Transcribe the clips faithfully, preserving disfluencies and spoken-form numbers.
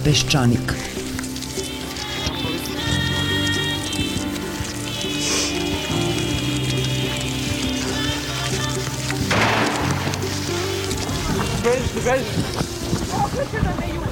Peščanik. Beži, beži. Okreće da me juri.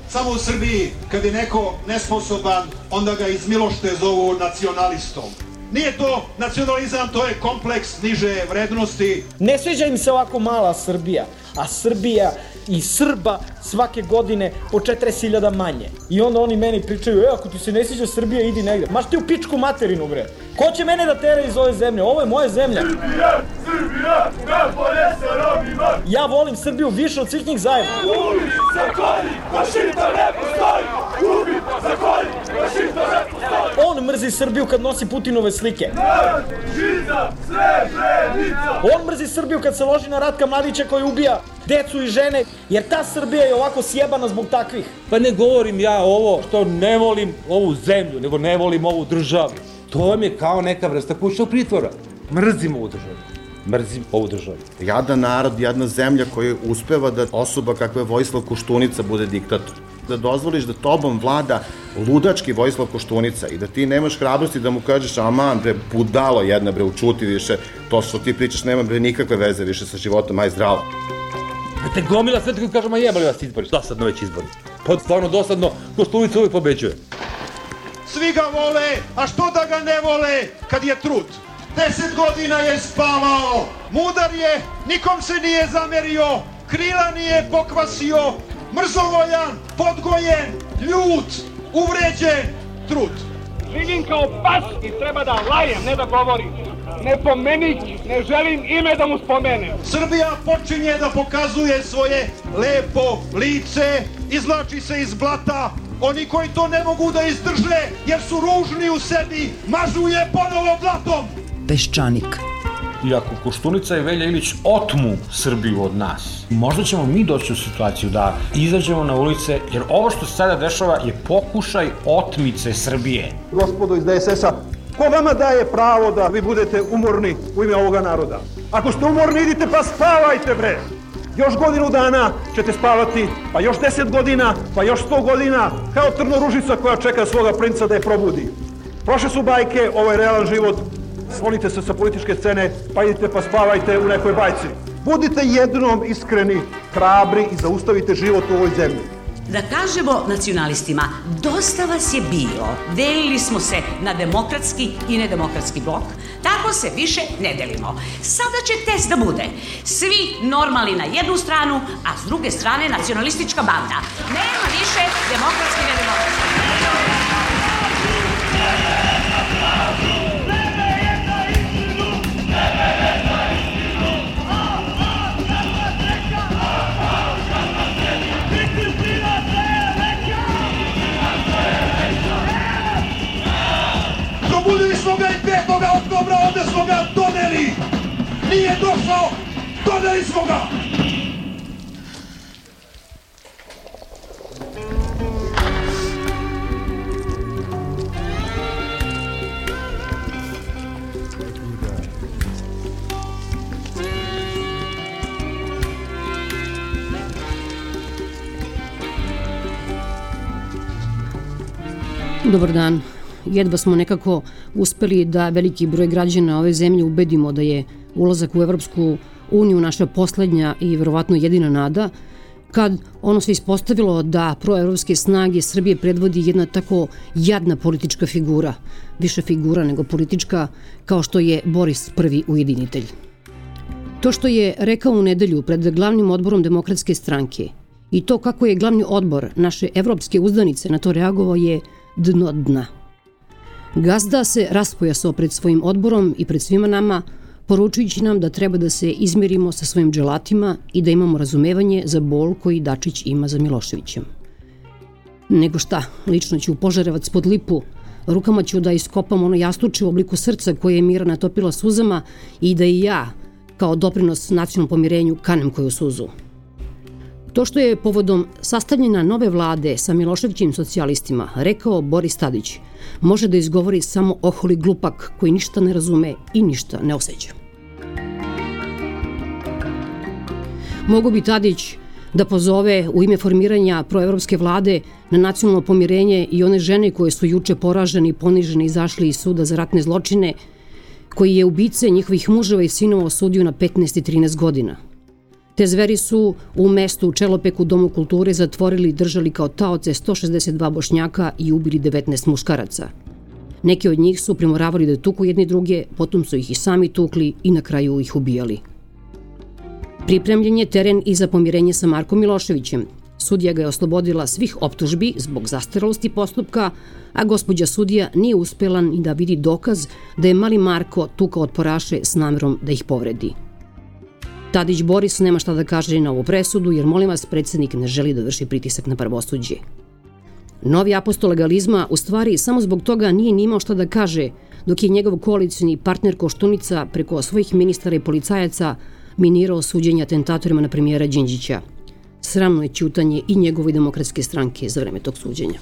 Samo u Srbiji, kad je neko nesposoban, onda ga iz milošte zovu nacionalistom. Nije to nacionalizam, to je kompleks niže vrednosti. Ne sviđa im se ovako mala Srbija, a Srbija i Srba svake godine po četrdeset hiljada manje. I onda oni meni pričaju, e, ako ti se ne sviđa Srbija, idi negde. Maš ti u pičku materinu, bre. Ko će mene da tera iz ove zemlje? Ovo je moja zemlja. Srbija, Srbija, najbolje sa Romima. Ja volim Srbiju više od svih njih zajedno. Ubi, zakolji, fašista ne postoji. Ubi, zakolji, fašista ne postoji. On mrzi Srbiju kad nosi Putinove slike. Narod, žiza, Srebrenica. On mrzi Srbiju kad se loži na Ratka Mladića koji ubija decu i žene, jer ta Srbija je ovako sjebana zbog takvih. Pa ne govorim ja ovo što ne volim ovu zemlju, nego ne volim ovu državu. To vam je kao neka vrsta kućnog pritvora. Mrzim ovu državu. Mrzim ovu državu. Jadan narod, jedna zemlja koja uspeva da osoba kakva je Vojislav Koštunica bude diktator. Da dozvoliš da tobom vlada ludački Vojislav Koštunica i da ti nemaš hrabrosti da mu kažeš aman bre, budalo jedna bre, učuti više, to što ti pričaš nema bre nikakve veze više sa životom, aj zdravo. A te gomila sve tako kažemo jebali vas izbori. Dosadno već izbori. Pa stvarno dosadno, Koštunica uvijek pobeđuje. Svi ga vole, a što da ga ne vole kad je trud? Deset godina je spavao, mudar je, nikom se nije zamerio, krila nije pokvasio, mrzovoljan, podgojen, ljut, uvređen, trud. Živim kao pas i treba da lajem, ne da govorim. Ne pomenik, ne želim ime da mu spomenem. Srbija počinje da pokazuje svoje lepo lice, izvlači se iz blata. Oni koji to ne mogu da izdrže jer su ružni u sebi, mažu je ponovo blatom. Peščanik. I ako Koštunica i Velja Ilić otmu Srbiju od nas, možda ćemo mi doći u situaciju da izađemo na ulice, jer ovo što se sada dešava je pokušaj otmice Srbije. Gospodo iz D S S-a, ko vama daje pravo da vi budete umorni u ime ovoga naroda? Ako ste umorni, idite pa spavajte, bre! Još godinu dana ćete spavati, pa još deset godina, pa još sto godina, kao trnoružica koja čeka svoga princa da je probudi. Prošle su bajke, ovo je realan život, sklonite se sa političke scene, pa idite pa spavajte u nekoj bajci. Budite jednom iskreni, hrabri i zaustavite život u ovoj zemlji. Da kažemo nacionalistima, dosta vas je bilo, delili smo se na demokratski i nedemokratski blok, tako se više ne delimo. Sada će test da bude, svi normalni na jednu stranu, a s druge strane nacionalistička banda. Nema više demokratski i nedemokratski. Probudili smo ga i petog oktobra, ovde smo ga doneli. Nije došao, doneli smo ga. Dobar dan. Jedva smo nekako uspeli da veliki broj građana ove zemlje ubedimo da je ulazak u Evropsku uniju naša poslednja i verovatno jedina nada, kad ono se ispostavilo da proevropske snage Srbije predvodi jedna tako jadna politička figura, više figura nego politička, kao što je Boris Prvi ujedinitelj. To što je rekao u nedelju pred glavnim odborom Demokratske stranke i to kako je glavni odbor naše evropske uzdanice na to reagovao je dno dna. Gazda se raspojasao pred svojim odborom i pred svima nama, poručujući nam da treba da se izmerimo sa svojim dželatima i da imamo razumevanje za bol koji Dačić ima za Miloševićem. Nego šta, lično ću u Požarevac pod Lipu Rukama ću da iskopam ono jastuče u obliku srca koje je Mira natopila suzama i da i ja, kao doprinos nacionalnom pomirenju, kanem koju suzu. To što je povodom sastavljena nove vlade sa Miloševićim socijalistima rekao Boris Tadić, može da izgovori samo oholi glupak koji ništa ne razume i ništa ne osjeća. Mogu bi Tadić da pozove u ime formiranja proevropske vlade na nacionalno pomirenje i one žene koje su juče poražene i ponižene izašli iz suda za ratne zločine, koji je ubice njihovih muževa i sinova osudio na petnaest i trinaest godina. Te zveri su u mestu u Čelopeku Domu kulture zatvorili i držali kao taoce sto šezdeset dva Bošnjaka i ubili devetnaest muškaraca. Neki od njih su primoravali da tuku jedni druge, potom su ih i sami tukli i na kraju ih ubijali. Pripremljen je teren i za pomirenje sa Markom Miloševićem. Sudija ga je oslobodila svih optužbi zbog zastarelosti postupka, a gospođa sudija nije uspela ni da vidi dokaz da je mali Marko tukao otporaše s namerom da ih povredi. Tadić Boris nema šta da kaže na ovu presudu, jer molim vas, predsjednik ne želi da vrši pritisak na pravosuđe. Novi apostol legalizma u stvari samo zbog toga nije ni imao šta da kaže, dok je njegov koalicioni partner Koštunica preko svojih ministara i policajaca minirao suđenja atentatorima na premijera Đinđića. Sramno je ćutanje i njegove demokratske stranke za vreme tog suđenja.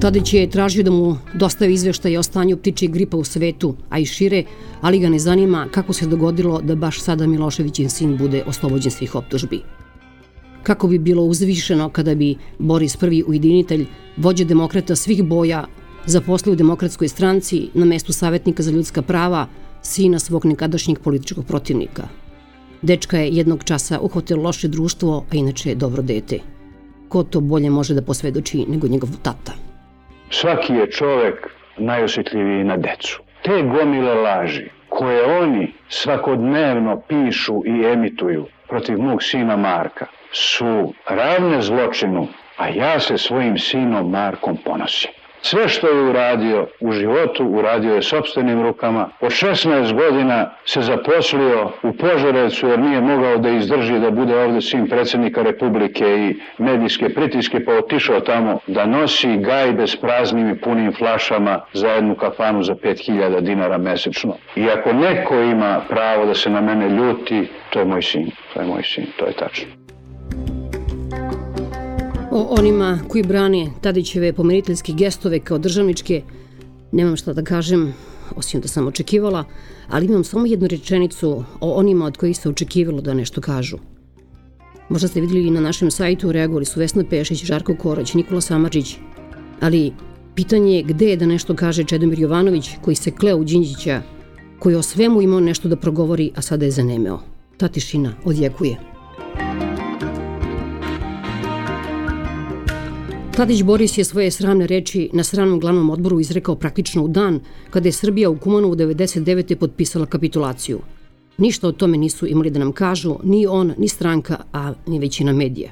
Tadić je tražio da mu dostavi izveštaje o stanju ptičjeg gripa u svetu, a i šire, ali ga ne zanima kako se dogodilo da baš sada Miloševićin sin bude oslobođen svih optužbi. Kako bi bilo uzvišeno kada bi Boris prvi ujedinitelj, vođa demokrata svih boja, zaposlio u demokratskoj stranci na mestu savjetnika za ljudska prava sina svog nekadašnjeg političkog protivnika. Dečka je jednog časa uhvatilo loše društvo, a inače je dobro dete. Ko to bolje može da posvedoči nego njegov tata? Svaki je čovek najosjetljiviji na decu. Te gomile laži koje oni svakodnevno pišu i emituju protiv mog sina Marka su ravne zločinu, a ja se svojim sinom Markom ponosim. Sve što je uradio u životu, uradio je sopstvenim rukama. Od šesnaest godina se zaposlio u Požarevcu jer nije mogao da izdrži da bude ovde sin predsjednika Republike i medijske pritiske, pa otišao tamo da nosi gajbe s praznim i punim flašama za jednu kafanu za pet hiljada dinara mesečno. I ako neko ima pravo da se na mene ljuti, to je moj sin, to je moj sin, to je tačno. O onima koji brane Tadićeve pomiriteljske gestove kao državničke, nemam šta da kažem, osim da sam očekivala, ali imam samo jednu rečenicu o onima od kojih se očekivalo da nešto kažu. Možda ste vidjeli i na našem sajtu, reagovali su Vesna Pešić, Žarko Korać, Nikola Samardžić, ali pitanje je gde je da nešto kaže Čedomir Jovanović, koji se kleo u Đinđića, koji o svemu imao nešto da progovori, a sada je zanemeo. Ta tišina odjekuje. Tadić Boris je svoje sramne reči na sramnom glavnom odboru izrekao praktično u dan kada je Srbija u Kumanovu devedeset devete potpisala kapitulaciju. Ništa o tome nisu imali da nam kažu ni on, ni stranka, a ni većina medija.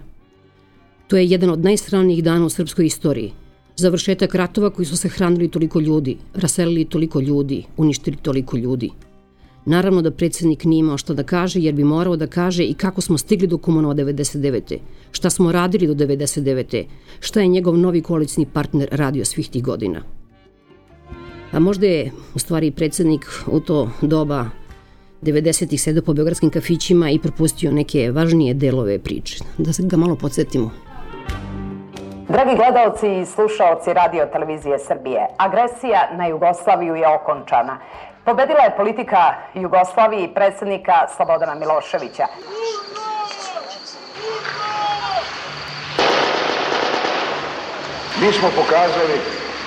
To je jedan od najsramnijih dana u srpskoj istoriji. Završetak ratova koji su se hranili toliko ljudi, raselili toliko ljudi, uništili toliko ljudi. Naravno da predsjednik nije imao šta da kaže, jer bi morao da kaže i kako smo stigli do Kumanova devedeset devete, šta smo radili do devedeset devete, šta je njegov novi koalicijni partner radio svih tih godina. A možda je, u stvari, predsjednik u to doba devedesetih sedeo po beogradskim kafićima i propustio neke važnije delove priče. Da ga malo podsjetimo. Dragi gledalci i slušaoci Radio Televizije Srbije, agresija na Jugoslaviju je okončana. Pobedila je politika Jugoslavije i predsjednika Slobodana Miloševića. Mi smo pokazali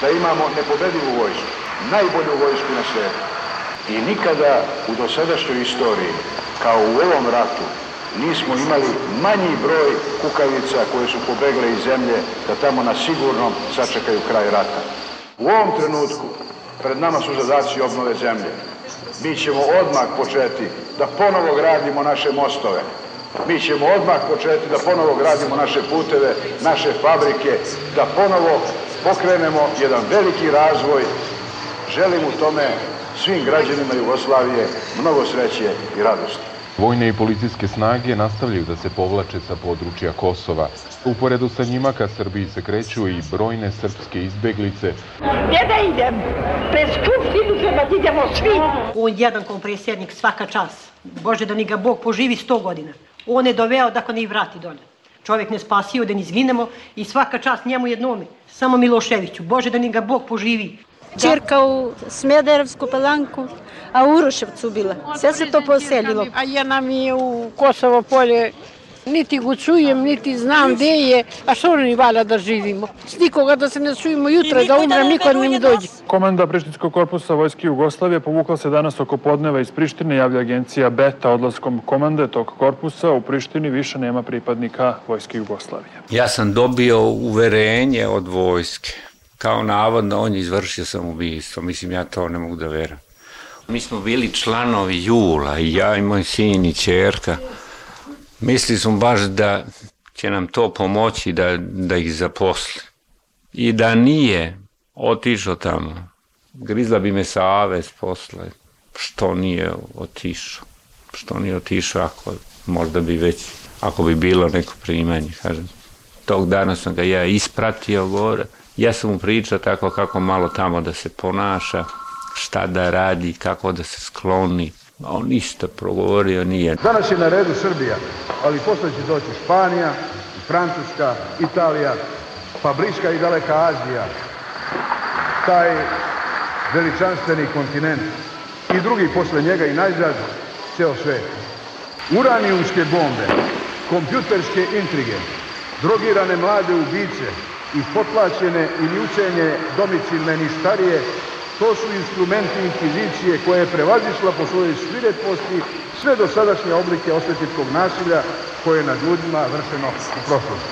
da imamo nepobedivu vojsku, najbolju vojsku na svijetu. I nikada u dosadašnjoj istoriji, kao u ovom ratu, nismo imali manji broj kukavica koje su pobegle iz zemlje da tamo na sigurnom sačekaju kraj rata. U ovom trenutku pred nama su zadaci obnove zemlje. Mi ćemo odmah početi da ponovo gradimo naše mostove. Mi ćemo odmah početi da ponovo gradimo naše puteve, naše fabrike, da ponovo pokrenemo jedan veliki razvoj. Želim u tome svim građanima Jugoslavije mnogo sreće i radosti. Vojne i policijske snage nastavljaju da se povlače sa područja Kosova. Uporedu sa njima ka Srbiji se kreću i brojne srpske izbeglice. Gdje da idem? Pred skupštinu treba da idemo svi. On jedan kao predsjednik svaka čast. Bože da ni ga Bog poživi sto godina. On je doveo da ne i vrati dolje. Čovjek ne spasio da ni izginemo i svaka čast njemu jednome. Samo Miloševiću. Bože da ni ga Bog poživi. Čirka u Smederevsku Palanku, a u Uroševcu bila. Sve se to poselilo. A ja nam je u Kosovo polje, niti go čujem, niti znam gde je, a što ni valja da živimo. S nikoga da se ne čujemo jutra, da umrem, niko ne mi dođe. Komanda Prištinskog korpusa Vojske Jugoslavije povukla se danas oko podneva iz Prištine, javlja agencija Beta. Odlaskom komande tog korpusa u Prištini više nema pripadnika Vojske Jugoslavije. Ja sam dobio uverenje od vojske. Kao navodno, on je izvršio samoubistvo. Mislim, ja to ne mogu da verujem. Mi smo bili članovi Jula, i ja i moj sin i ćerka. Mislili smo baš da će nam to pomoći da, da ih zaposli. I da nije otišao tamo, grizla bi me savest posle. Što nije otišao? Što nije otišao ako možda bi već, ako bi bilo neko primanje, kažem. Tog dana sam ga ja ispratio gore. Ja sam mu pričao tako kako malo tamo da se ponaša, šta da radi, kako da se skloni. A on ništa progovorio nije. Danas je na redu Srbija, ali posle će doći Španija, Francuska, Italija, pa bliska i daleka Azija. Taj veličanstveni kontinent i drugi posle njega i najzad ceo svet. Uranijumske bombe, kompjuterske intrige, drogirane mlade ubice i potlačene ili učenje domicilne ništarije, to su instrumenti inkvizicije koje je prevazišla po svojoj svireposti sve dosadašnje oblike osvetničkog nasilja koje je nad ljudima vršeno u prošlosti.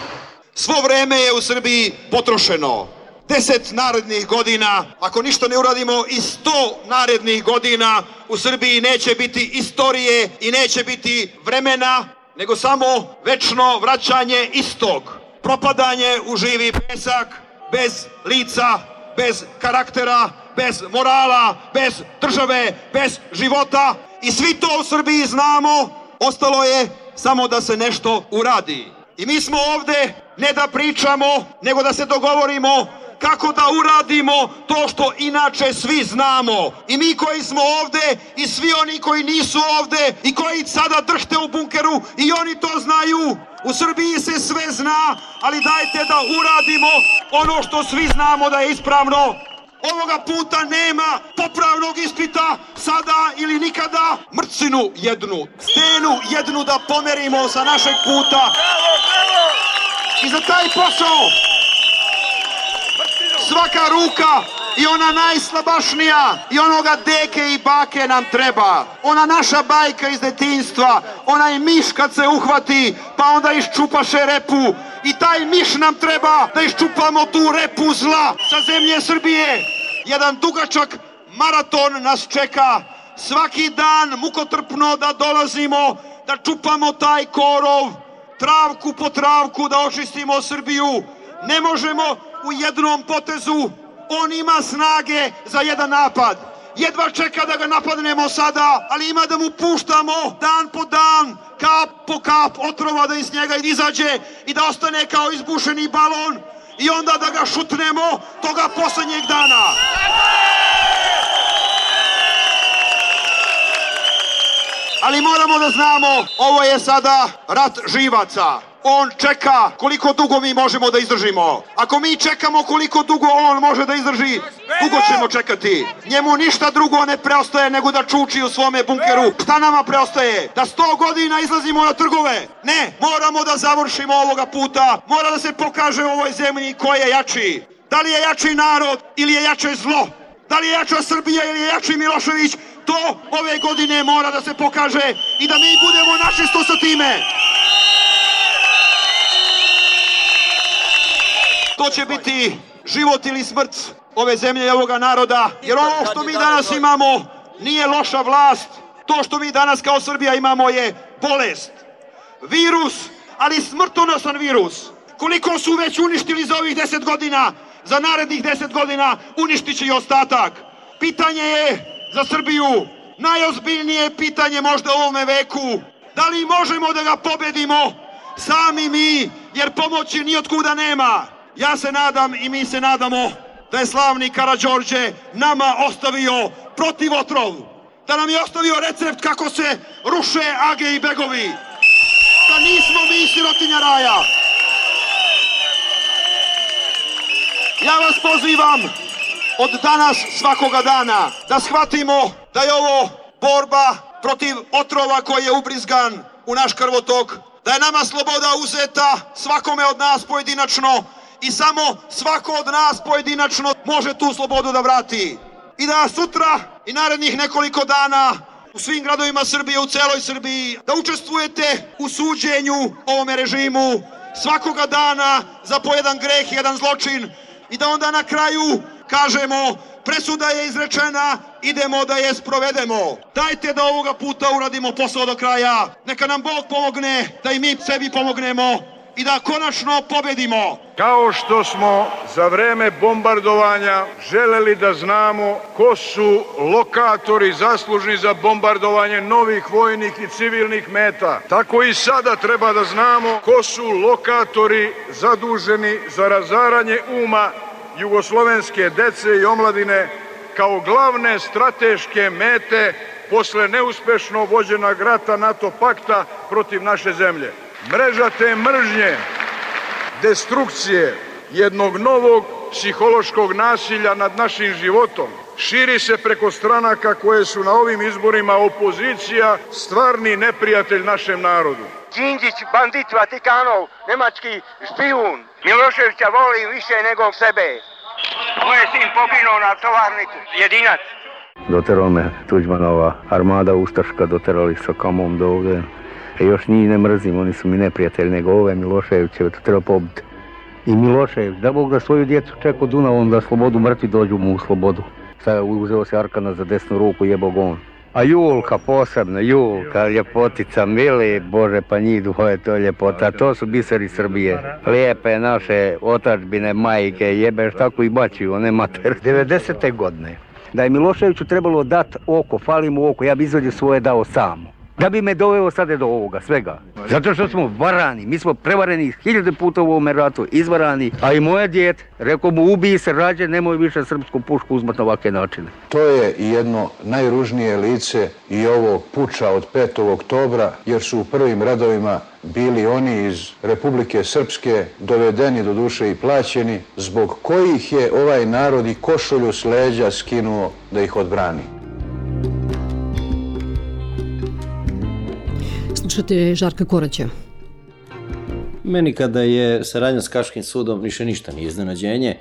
Svo vreme je u Srbiji potrošeno. Deset narednih godina, ako ništa ne uradimo i sto narednih godina, u Srbiji neće biti istorije i neće biti vremena, nego samo večno vraćanje istog. Propadanje u živi pesak, bez lica, bez karaktera, bez morala, bez države, bez života. I svi to u Srbiji znamo, ostalo je samo da se nešto uradi. I mi smo ovde ne da pričamo, nego da se dogovorimo kako da uradimo to što inače svi znamo. I mi koji smo ovde i svi oni koji nisu ovde i koji sada drhte u bunkeru i oni to znaju. U Srbiji se sve zna, ali dajte da uradimo ono što svi znamo da je ispravno. Ovoga puta nema popravnog ispita, sada ili nikada. Mrcinu jednu, stenu jednu da pomerimo sa našeg puta. I za taj posao svaka ruka i ona najslabašnija i onoga deke i bake nam treba. Ona naša bajka iz detinjstva, onaj miš kad se uhvati pa onda iščupaše repu. I taj miš nam treba da iščupamo tu repu zla sa zemlje Srbije. Jedan dugačak maraton nas čeka. Svaki dan mukotrpno da dolazimo, da čupamo taj korov, travku po travku da očistimo Srbiju. Ne možemo u jednom potezu. On ima snage za jedan napad. Jedva čeka da ga napadnemo sada, ali ima da mu puštamo dan po dan, kap po kap otrova da iz njega izađe i da ostane kao izbušeni balon i onda da ga šutnemo toga poslednjeg dana. Ali moramo da znamo, ovo je sada rat živaca. On čeka koliko dugo mi možemo da izdržimo. Ako mi čekamo koliko dugo on može da izdrži, dugo ćemo čekati. Njemu ništa drugo ne preostaje nego da čuči u svome bunkeru. Šta nama preostaje? Da sto godina izlazimo na trgove? Ne, moramo da završimo ovoga puta. Mora da se pokaže u ovoj zemlji ko je jači. Da li je jači narod ili je jače zlo? Da li je jača Srbija ili je jači Milošević? To ove godine mora da se pokaže i da mi budemo načisto sa time. To će biti život ili smrt ove zemlje i ovoga naroda, jer ovo što mi danas imamo nije loša vlast, to što mi danas kao Srbija imamo je bolest, virus, ali smrtonosan virus. Koliko su već uništili za ovih deset godina, za narednih deset godina uništit će i ostatak. Pitanje je za Srbiju najozbiljnije pitanje možda u ovome veku, Da li možemo da ga pobedimo sami mi, jer pomoći nijotkuda nema? Ja se nadam i mi se nadamo da je slavni Karađorđe nama ostavio protivotrov, da nam je ostavio recept kako se ruše age i begovi, da nismo mi sirotinja raja. Ja vas pozivam od danas svakoga dana da shvatimo da je ovo borba protiv otrova koji je ubrizgan u naš krvotok, da je nama sloboda uzeta svakome od nas pojedinačno i samo svako od nas pojedinačno može tu slobodu da vrati. I da sutra i narednih nekoliko dana u svim gradovima Srbije, u celoj Srbiji, da učestvujete u suđenju ovome režimu svakoga dana za po jedan greh, jedan zločin i da onda na kraju kažemo presuda je izrečena, idemo da je sprovedemo. Dajte da ovoga puta uradimo posao do kraja, neka nam Bog pomogne, da i mi sebi pomognemo i da konačno pobedimo. Kao što smo za vreme bombardovanja želeli da znamo ko su lokatori zaslužni za bombardovanje novih vojnih i civilnih meta, tako i sada treba da znamo ko su lokatori zaduženi za razaranje uma jugoslovenske dece i omladine kao glavne strateške mete posle neuspešno vođenog rata NATO pakta protiv naše zemlje. Mreža te mržnje, destrukcije, jednog novog psihološkog nasilja nad našim životom širi se preko stranaka koje su na ovim izborima opozicija, stvarni neprijatelj našem narodu. Đinđić, bandit Vatikanov, nemački špijun, Miloševića volim više nego sebe. Moj je sin poginuo na tovarniku, jedinac. Doterao me Tuđmanova armada ustaška, doterali sa kamom do ovde. E još njih ne mrzim, oni su mi neprijatelji, nego ove Miloševićeve, to treba pobiti. I Milošević, da Bog da svoju djecu čekao Dunavom da slobodu mrtvi dođu mu u slobodu. Sada uzeo se Arkana za desnu ruku, jebog on. A Julka posebno, Julka, ljepotica, mili, Bože, pa njih dvoje, to je ljepota, to su biseri Srbije. Lijepe naše otačbine, majke, jebeš, tako i bačiju, one mater. devedesete godine, da je Miloševiću trebalo dat oko, fali mu oko, ja bi izvadio svoje dao samo. Da bi me doveo sada do ovoga, svega. Zato što smo varani, mi smo prevareni hiljade puta u ovome ratu, izvarani, a i moje djete, rekao mu ubiji se rađe, nemoj više srpsku pušku uzmat na ovakve načine. To je jedno najružnije lice i ovog puča od petog oktobra, jer su u prvim redovima bili oni iz Republike Srpske, dovedeni do duše i plaćeni, zbog kojih je ovaj narod i košulju s leđa skinuo da ih odbrani. Slušate Žarka Koraća. Meni kada je saradnja s Haškim sudom više ništa nije iznenađenje.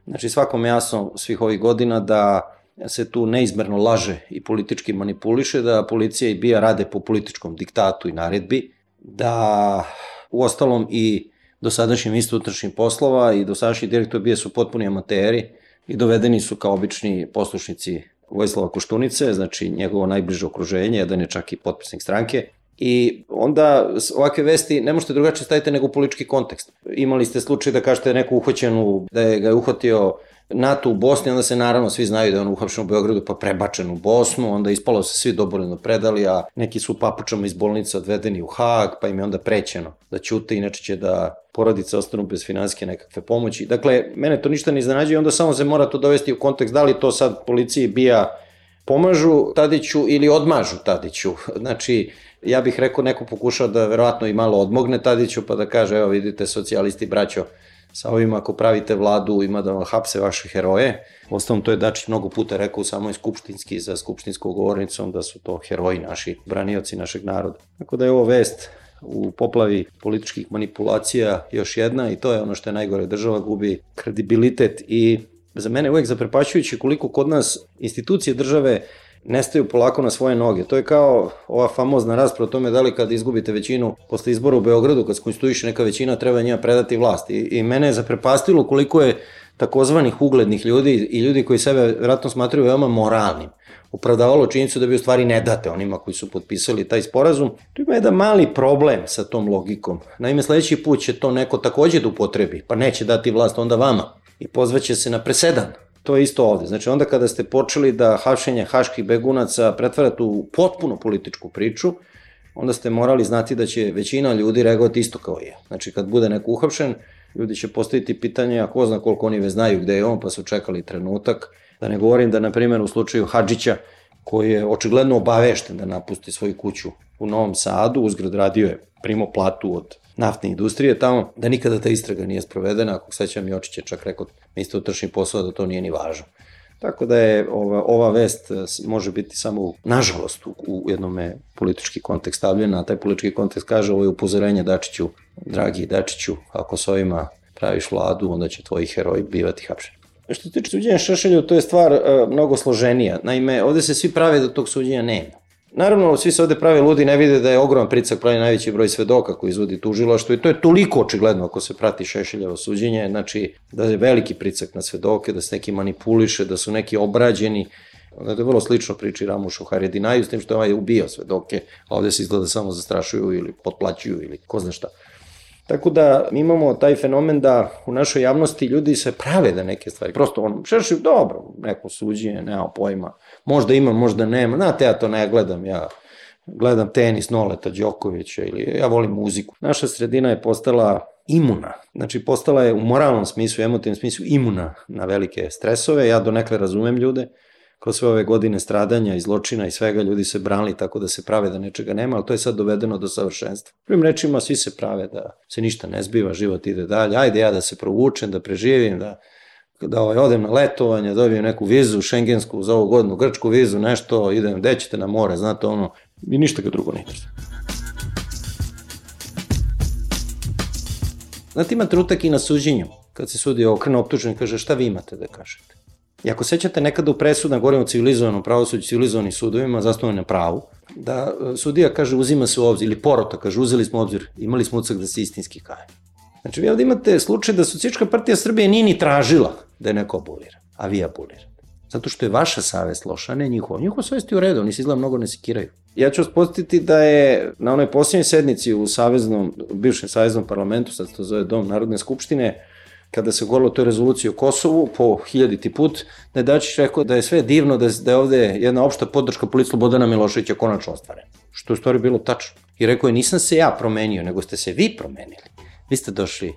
Znači svakom jasno svih ovih godina da se tu neizmerno laže i politički manipuliše, da policija i B I A rade po političkom diktatu i naredbi, da u ostalom i dosadašnji ministar unutrašnjih poslova i dosadašnji direktor B I A su potpuni amateri i dovedeni su kao obični poslušnici Vojislava Koštunice, znači njegovo najbliže okruženje, jedan je čak i potpisnik stranke. I onda ovakve vesti ne možete drugačije staviti nego u politički kontekst. Imali ste slučaj da kažete neku uhoćenu, da je ga je uhvatio NATO u Bosni, onda se naravno svi znaju da je on uhapšen u Beogradu pa prebačen u Bosnu, onda ispalo se svi dobrovoljno predali, a neki su papučama iz bolnice odvedeni u Hag, pa im je onda prećeno da ćute, inače će da porodice ostanu bez finansijske nekakve pomoći. Dakle, mene to ništa ne iznenađuje, onda samo se mora to dovesti u kontekst da li to sad policiji B I A pomažu Tadiću ili odmažu Tadiću. Znači, ja bih rekao, neko pokušao da verovatno i malo odmogne Tadiću, pa da kaže, evo vidite, socijalisti, braćo, sa ovim ako pravite vladu ima da vam hapse vaše heroje. Ostalom, to je Dačić mnogo puta rekao u samoj skupštinski, za skupštinskom govornicom, da su to heroji naši, branioci našeg naroda. Tako da je ovo vest u poplavi političkih manipulacija još jedna i to je ono što je najgore, država gubi kredibilitet i za mene uvek zaprepašćujući koliko kod nas institucije države nestaju polako na svoje noge. To je kao ova famozna rasprava o tome da li kad izgubite većinu posle izbora u Beogradu, kad se konstituiše neka većina, treba njima predati vlast. I, i mene je zaprepastilo koliko je takozvanih uglednih ljudi i ljudi koji sebe vjerojatno smatraju veoma moralnim opravdavalo činjenicu da bi u stvari ne date onima koji su potpisali taj sporazum. Tu ima jedan mali problem sa tom logikom. Naime, sledeći put će to neko takođe da upotrebi, pa neće dati vlast onda vama i pozvaće se na presedan. To je isto ovde. Znači onda kada ste počeli da hapšenje haških begunaca pretvarate u potpuno političku priču, onda ste morali znati da će većina ljudi reagovati isto kao je. Znači, kad bude neko uhapšen, ljudi će postaviti pitanje, a ko zna koliko oni već znaju gde je on, pa su čekali trenutak. Da ne govorim da, na primjer, u slučaju Hadžića, koji je očigledno obavešten da napusti svoju kuću u Novom Sadu, uzgrad radio je primo platu od naftne industrije tamo, da nikada ta istraga nije sprovedena, ako sećam Jočić je čak rekao, mi ste utršni posao, da to nije ni važno. Tako da je ova, ova vest može biti samo, nažalost, u, u jednome politički kontekst stavljena, a taj politički kontekst kaže ovo je upozorenje Dačiću, dragi Dačiću, ako s ovima praviš vladu, onda će tvoji heroji bivati hapšeni. Što se tiče suđenja Šešelju, to je stvar uh, mnogo složenija. Naime, ovde se svi prave da tog suđenja nema. Naravno, svi se ovde prave ludi, ne vide da je ogroman pritisak, pravi najveći broj svedoka koji izvodi tužilaštvo i to je toliko očigledno ako se prati Šešeljevo suđenje, znači da je veliki pritisak na svedoke, da se neki manipuliše, da su neki obrađeni. Da je vrlo slično priči Ramušu Haredinaju, s tim što je ovaj ubio svedoke, a ovde se izgleda samo zastrašuju ili potplaćuju ili ko zna šta. Tako da mi imamo taj fenomen da u našoj javnosti ljudi se prave da neke stvari, prosto on Šešelj, dobro, neko suđenje, nema pojma, možda ima, možda nema, znate, ja to ne gledam, ja gledam tenis Noleta Đokovića ili ja volim muziku. Naša sredina je postala imuna, znači postala je u moralnom smislu, emotivnom smislu imuna na velike stresove, ja donekle razumem ljude, kroz sve ove godine stradanja i zločina i svega ljudi se branili tako da se prave da nečega nema, ali to je sad dovedeno do savršenstva. Prvim rečima svi se prave da se ništa ne zbiva, život ide dalje, ajde ja da se provučem, da preživim, da, da ovaj, odem na letovanje, dobijem neku vizu šengensku za ovu godinu, grčku vizu, nešto, idem, gde ćete na more, znate ono, i ništa ga drugo ne interesuje. Znate, ima trenutak i na suđenju, kad se sudi okrene optužen i kaže šta vi imate da kažete. I ako sećate nekada u presudama, govorimo o civilizovanom pravosuđu, civilizovanim sudovima, zasnovano na pravu, da sudija kaže uzima se u obzir, ili porota kaže uzeli smo u obzir, imali smo utisak da se istinski kaje. Znači vi ovde imate slučaj da Socijalistička partija Srbije nije ni tražila da je neko abolira, a vi abolirate. Zato što je vaša savest loša, a ne njihova. Njihova savest je u redu, oni se izgleda mnogo ne sekiraju. Ja ću vas podsjetiti da je na onoj posljednjoj sednici u saveznom, bivšem saveznom parlamentu, sad se to zove Dom Narodne skupštine, kada se govorilo o toj rezoluciji o Kosovu po hiljaditi put, da je Dačić rekao da je sve divno, da je ovde jedna opšta podrška politici Slobodana Miloševića konačno ostvarena. Što je u stvari bilo tačno. I rekao je nisam se ja promenio, nego ste se vi promenili. Vi ste došli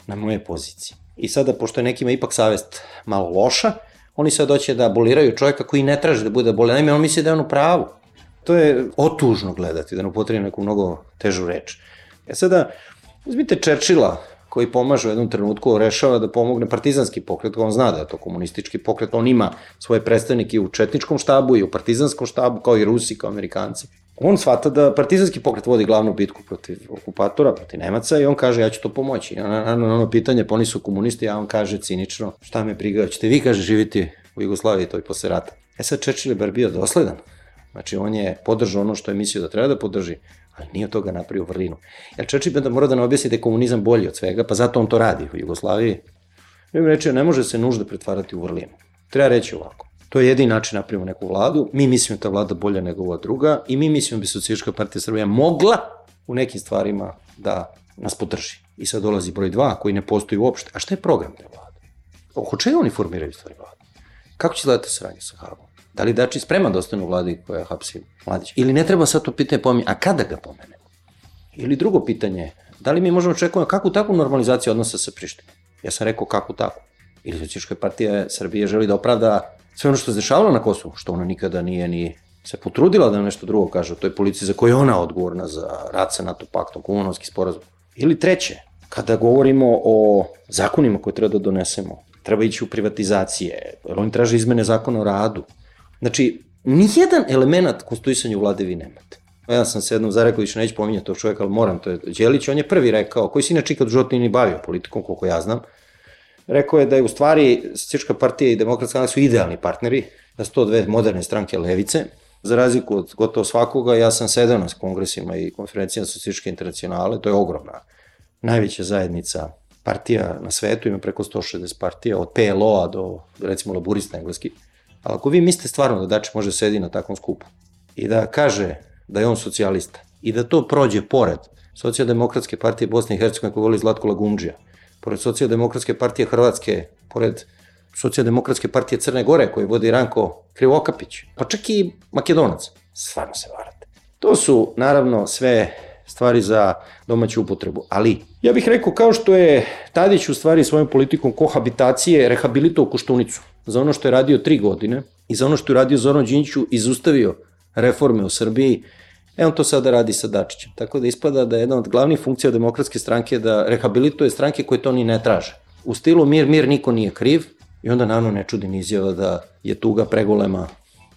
na moje pozicije. I sada, pošto je nekima ipak savest malo loša, oni sad doće da aboliraju čovjeka koji ne traže da bude aboliran. Naime, on misli da je on u pravu. To je otužno gledati, da ne upotrebim neku mnogo težu reč. E sada, uzmite Čerčila, koji pomaže u jednom trenutku, rešava da pomogne partizanski pokret, on zna da je to komunistički pokret, on ima svoje predstavnike u četničkom štabu i u partizanskom štabu, kao i Rusi, kao Amerikanci. On shvata da partizanski pokret vodi glavnu bitku protiv okupatora, protiv Nemaca i on kaže ja ću to pomoći. Na ono pitanje, pa oni su komunisti, a on kaže cinično, šta me briga, ćete vi, kaže, živiti u Jugoslaviji, to i posle rata. E sad Churchill je bar bio dosledan. Znači on je podržao ono što je mislio da treba da podrži, ali nije od toga napravio vrlinu. Jer Churchill da mora da ne objasni da je komunizam bolji od svega, pa zato on to radi u Jugoslaviji. Mi reći, ne može se nužda pretvarati u vrlinu. Treba reći ovako. To je jedini način napravimo neku vladu, mi mislimo da ta vlada bolja nego ova druga i mi mislimo da bi Socijalistička partija Srbije mogla u nekim stvarima da nas podrži. I sad dolazi broj dva koji ne postoji uopšte. A šta je program te vlade? Oko čega oni formiraju stvari vlade? Kako će gledati saradnje sa Hagom? Da li Dačić spreman da ostane u vladi koja hapsi Mladića? Ili ne treba sad to pitanje pominjati, a kada ga pomenemo? Ili drugo pitanje, da li mi možemo očekivati kakvu takvu normalizaciju odnosa sa Prištinom? Ja sam rekao kakvu takvu. Ili Socijalistička partija Srbije želi da opravda sve ono što se dešavalo na Kosovu, što ona nikada nije ni se potrudila da nešto drugo kaže o toj policiji za koju je ona odgovorna za rat sa NATO paktom, Kumanovski sporazum. Ili treće, kada govorimo o zakonima koje treba da donesemo, treba ići u privatizacije, jer oni traže izmene zakona o radu. Znači, nijedan element konstituisanja u vlade vi nemate. Ja sam se jednom zarekao, više neću pominjati tog čovjeka, ali moram, to je Đelić, on je prvi rekao, koji se inače ikad u životu nije ni bavio politikom, koliko ja znam, rekao je da je u stvari Socijalistička partija i Demokratska stranka su idealni partneri, da su to dve moderne stranke levice. Za razliku od gotovo svakoga, ja sam sedeo na kongresima i konferencijama Socijalističke internacionale, to je ogromna, najveća zajednica partija na svetu, ima preko sto šezdeset partija, od P L O-a do, recimo, laburista engleski. Ali ako vi mislite stvarno da Dačić može sedi na takvom skupu i da kaže da je on socijalista i da to prođe pored Socijaldemokratske partije Bosne i Hercegovine koju voli Zlatko Lagundžija, pored Socijaldemokratske partije Hrvatske, pored Socijaldemokratske partije Crne Gore koju vodi Ranko Krivokapić, pa čak i Makedonac, stvarno se varate. To su, naravno, sve stvari za domaću upotrebu. Ali, ja bih rekao, kao što je Tadić u stvari svojom politikom kohabitacije rehabilitovao Koštunicu za ono što je radio tri godine i za ono što je radio Zoran Đinđiću izustavio reforme u Srbiji, e on to sada radi sa Dačićem. Tako da ispada da je jedna od glavnih funkcija demokratske stranke da rehabilituje stranke koje to ni ne traže. U stilu mir, mir, niko nije kriv i onda naravno ne čudi ni izjava da je tuga pregolema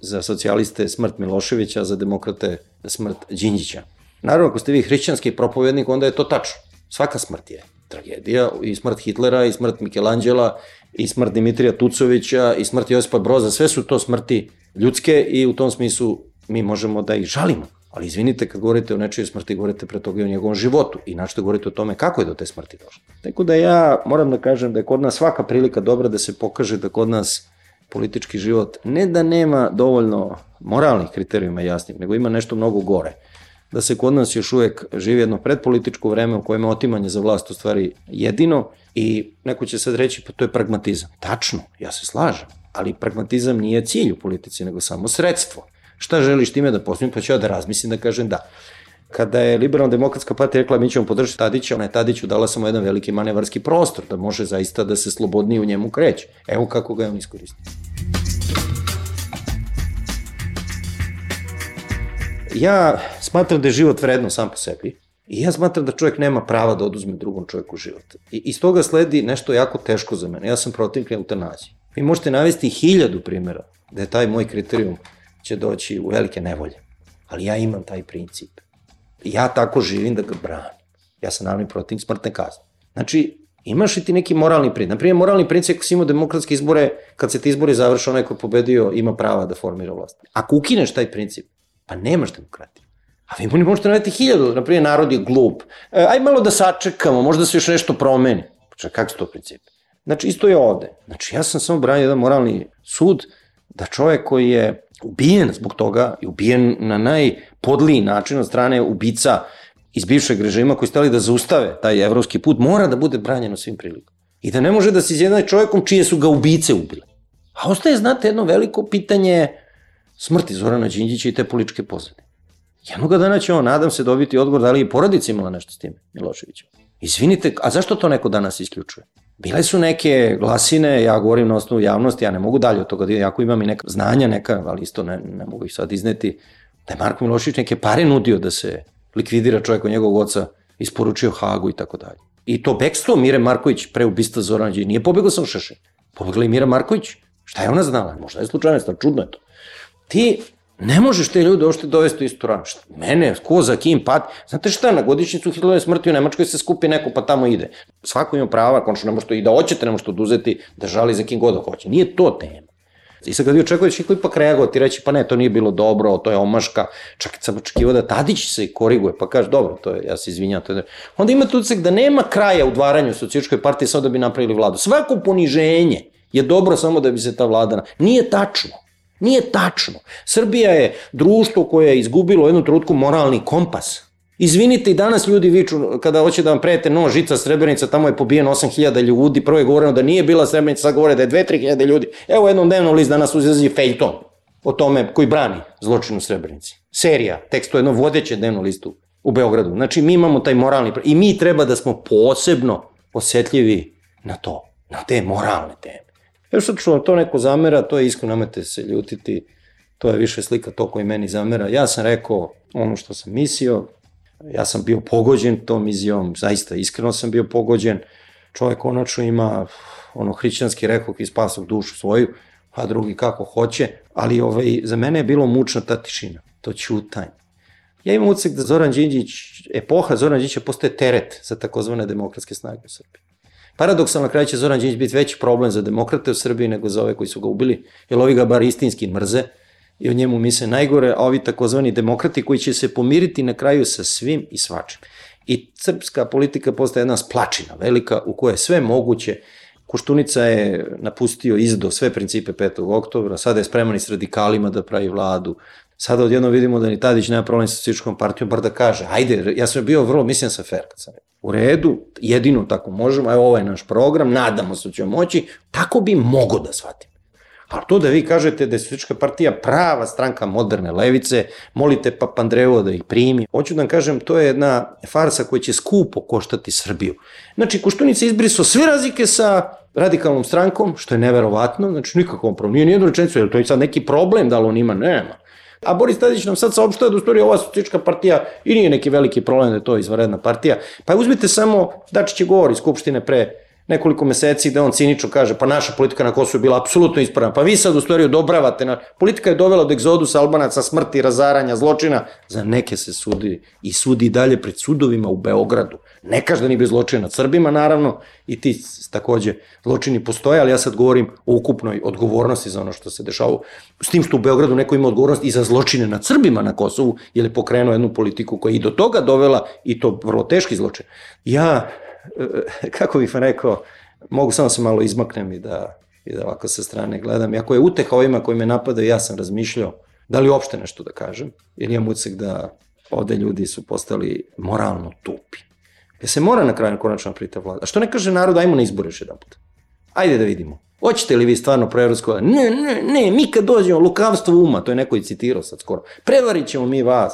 za socijaliste smrt Miloševića, a za demokrate smrt Đinđića. Naravno, ako ste vi hrišćanski propovednik, onda je to tačno. Svaka smrt je tragedija, i smrt Hitlera, i smrt Michelangela, i smrt Dimitrija Tucovića, i smrt Josipa Broza, sve su to smrti ljudske i u tom smislu mi možemo da ih žalimo. Ali izvinite, kad govorite o nečijoj smrti, govorite pre toga i o njegovom životu i načito govorite o tome kako je do te smrti došlo. Tako da ja moram da kažem da je kod nas svaka prilika dobra da se pokaže da kod nas politički život ne da nema dovoljno moralnih kriterijuma jasnih, nego ima nešto mnogo gore. Da se kod nas još uvek živi jedno predpolitičko vreme u kojem je otimanje za vlast u stvari jedino i neko će sad reći pa to je pragmatizam. Tačno, ja se slažem, ali pragmatizam nije cilj u politici, nego samo sredstvo. Šta želiš time da postavim, pa ću ja da razmislim da kažem da. Kada je Liberalno-demokratska partija rekla mi ćemo podržati Tadića, ona je Tadiću dala samo jedan veliki manevarski prostor, da može zaista da se slobodnije u njemu kreće. Evo kako ga je on iskoristio. Ja smatram da je život vredno sam po sebi i ja smatram da čovjek nema prava da oduzme drugom čovjeku život. I iz toga sledi nešto jako teško za mene. Ja sam protiv eutanazije. Vi možete navesti hiljadu primjera da je taj moj kriterijum će doći u velike nevolje. Ali ja imam taj princip. Ja tako živim da ga branim. Ja sam naravno protiv smrtne kazne. Znači, imaš li ti neki moralni princip? Naprimjer, moralni princip ako si imao demokratske izbore, kad se ti izbori završe, onaj ko je pobedio ima prava da formira vlast. Ako ukineš taj princip, pa nemaš demokratiju. A vi možete navesti hiljadu, naprimjer, narod je glup. E, aj malo da sačekamo, možda se još nešto promeni. Pa kak su to principi? Znači, isto je ovde. Znači, ja sam samo branio jedan moralni sud da čovjek koji je ubijen zbog toga i ubijen na najpodliji način od strane ubica iz bivšeg režima koji stali da zaustave taj evropski put, mora da bude branjen u svim prilikama. I da ne može da se izjednači čovjekom čije su ga ubice ubile. A ostaje, znate, jedno veliko pitanje smrti Zorana Đinđića i te političke pozadine. Jednoga dana će on, nadam se, dobiti odgovor da li je porodica imala nešto s tim Miloševićem. Izvinite, a zašto to neko danas isključuje? Bile su neke glasine, ja govorim na osnovu javnosti, ja ne mogu dalje od toga, jako imam i neka znanja, neka, ali isto ne, ne mogu ih sad izneti, da je Marko Milošević neke pare nudio da se likvidira čovjek od njegovog oca, isporučio Hagu i tako dalje. I to bekstvo Mire Marković pre ubistva Zorana Đinđića, nije pobegao sam Šešelj, pobegla i Mira Marković. Šta je ona znala? Možda je slučajnost, ali čudno je to. Ti ne možeš te ljude ošte dovesti u istu ranu. Mene, ko za kim pat. Znate šta, na godišnjicu Hitlerove smrti u Nemačkoj se skupi neko pa tamo ide. Svako ima prava, končno ne možete i da hoćete, ne možete oduzeti da žali za kim god da hoće. Nije to tema. I sad kad vi očekuješ i koji ipak reagovati, reći pa ne, to nije bilo dobro, to je omaška, čak sam očekivao da Tadić se koriguje, pa kaže dobro, to je, ja se izvinjam, to je... Onda imate utisak da nema kraja u dvaranju socijalističkoj partiji samo da bi napravili vladu. Svako poniženje je dobro samo da bi se ta vlada... Nije tačno. Nije tačno. Srbija je društvo koje je izgubilo u jednom trenutku moralni kompas. Izvinite, i danas ljudi viču kada hoće da vam prete nož, žica, Srebrenica, tamo je pobijen osam hiljada ljudi, prvo je govoreno da nije bila Srebrenica, sad govore da je dve do tri hiljade ljudi. Evo jednom dnevnom list danas uzlazi fejton o tome koji brani zločin u Srebrenici. Serija, tekst o jednom vodećem dnevnom listu u Beogradu. Znači mi imamo taj moralni... I mi treba da smo posebno osjetljivi na to, na te moralne teme. Evo sad što to neko zamera, to je iskreno, nemojte se ljutiti, to je više slika to koji meni zamera. Ja sam rekao ono što sam mislio, ja sam bio pogođen tom izjavom, zaista iskreno sam bio pogođen. Čovjek konačno ima ono hrišćanski rekao i spasao dušu svoju, a drugi kako hoće, ali ovaj, za mene je bilo mučna ta tišina, to ćutanje. Ja imam utisak da Zoran Đinđić, epoha Zoran Đinđića postaje teret za takozvane demokratske snage u Srbiji. Paradoksalno, na kraju će Zoran Đinđić biti veći problem za demokrate u Srbiji nego za ove koji su ga ubili, jer ovi ga bar istinski mrze i o njemu misle najgore, a ovi takozvani demokrati koji će se pomiriti na kraju sa svim i svačim. I srpska politika postaje jedna splačina velika u kojoj je sve moguće. Koštunica je napustio izdo sve principe petog oktobra, sada je spreman i s radikalima da pravi vladu. Sada odjedno vidimo da ni Tadić nema problem sa socijalističkom partijom, bar da kaže, ajde, ja sam bio vrlo, mislim sa fair kad sam rekao. U redu, jedino tako možemo, evo ovo je naš program, nadamo se da ćemo moći, tako bi mogo da shvatim. Pa to da vi kažete da je Socijalistička partija prava stranka moderne levice, molite Papandreou da ih primi. Hoću da vam kažem, to je jedna farsa koja će skupo koštati Srbiju. Znači, Koštunica izbrisao sve razlike sa radikalnom strankom, što je neverovatno, znači nikakvom problem, nije nijednu rečenicu, je li to je sad neki problem da li on ima? Nema. A Boris Tadić nam sad saopštava da u stvari ova Socijalistička partija i nije neki veliki problem da je to izvanredna partija. Pa uzmite samo, Dačić je govor iz Skupštine pre nekoliko meseci da on cinično kaže pa naša politika na Kosovu je bila apsolutno ispravna, pa vi sad u stvari odobravate, na... politika je dovela do egzodusa Albanaca, smrti, razaranja, zločina, za neke se sudi i sudi dalje pred sudovima u Beogradu. Ne kaže da nije bio zločin nad Srbima, naravno, i ti takođe zločini postoje, ali ja sad govorim o ukupnoj odgovornosti za ono što se dešava, s tim što u Beogradu neko ima odgovornost i za zločine nad Srbima na Kosovu, jer je pokrenuo jednu politiku koja je i do toga dovela, i to vrlo teški zločin. Ja, kako bih vam rekao, mogu samo se malo izmaknem i da, i da ovako sa strane gledam. Iako je uteha ovima koji me napadaju, ja sam razmišljao da li uopšte nešto da kažem, jer imam utisak da ovde ljudi su postali moralno tupi. Jer se mora na kraju konačno prita vlada. A što ne kaže narod, ajmo na izbore još jedan put. Ajde da vidimo. Hoćete li vi stvarno proevropsko? Ne, ne, ne, mi kad dođemo, lukavstvo uma, to je neko i citirao sad skoro, prevarit ćemo mi vas,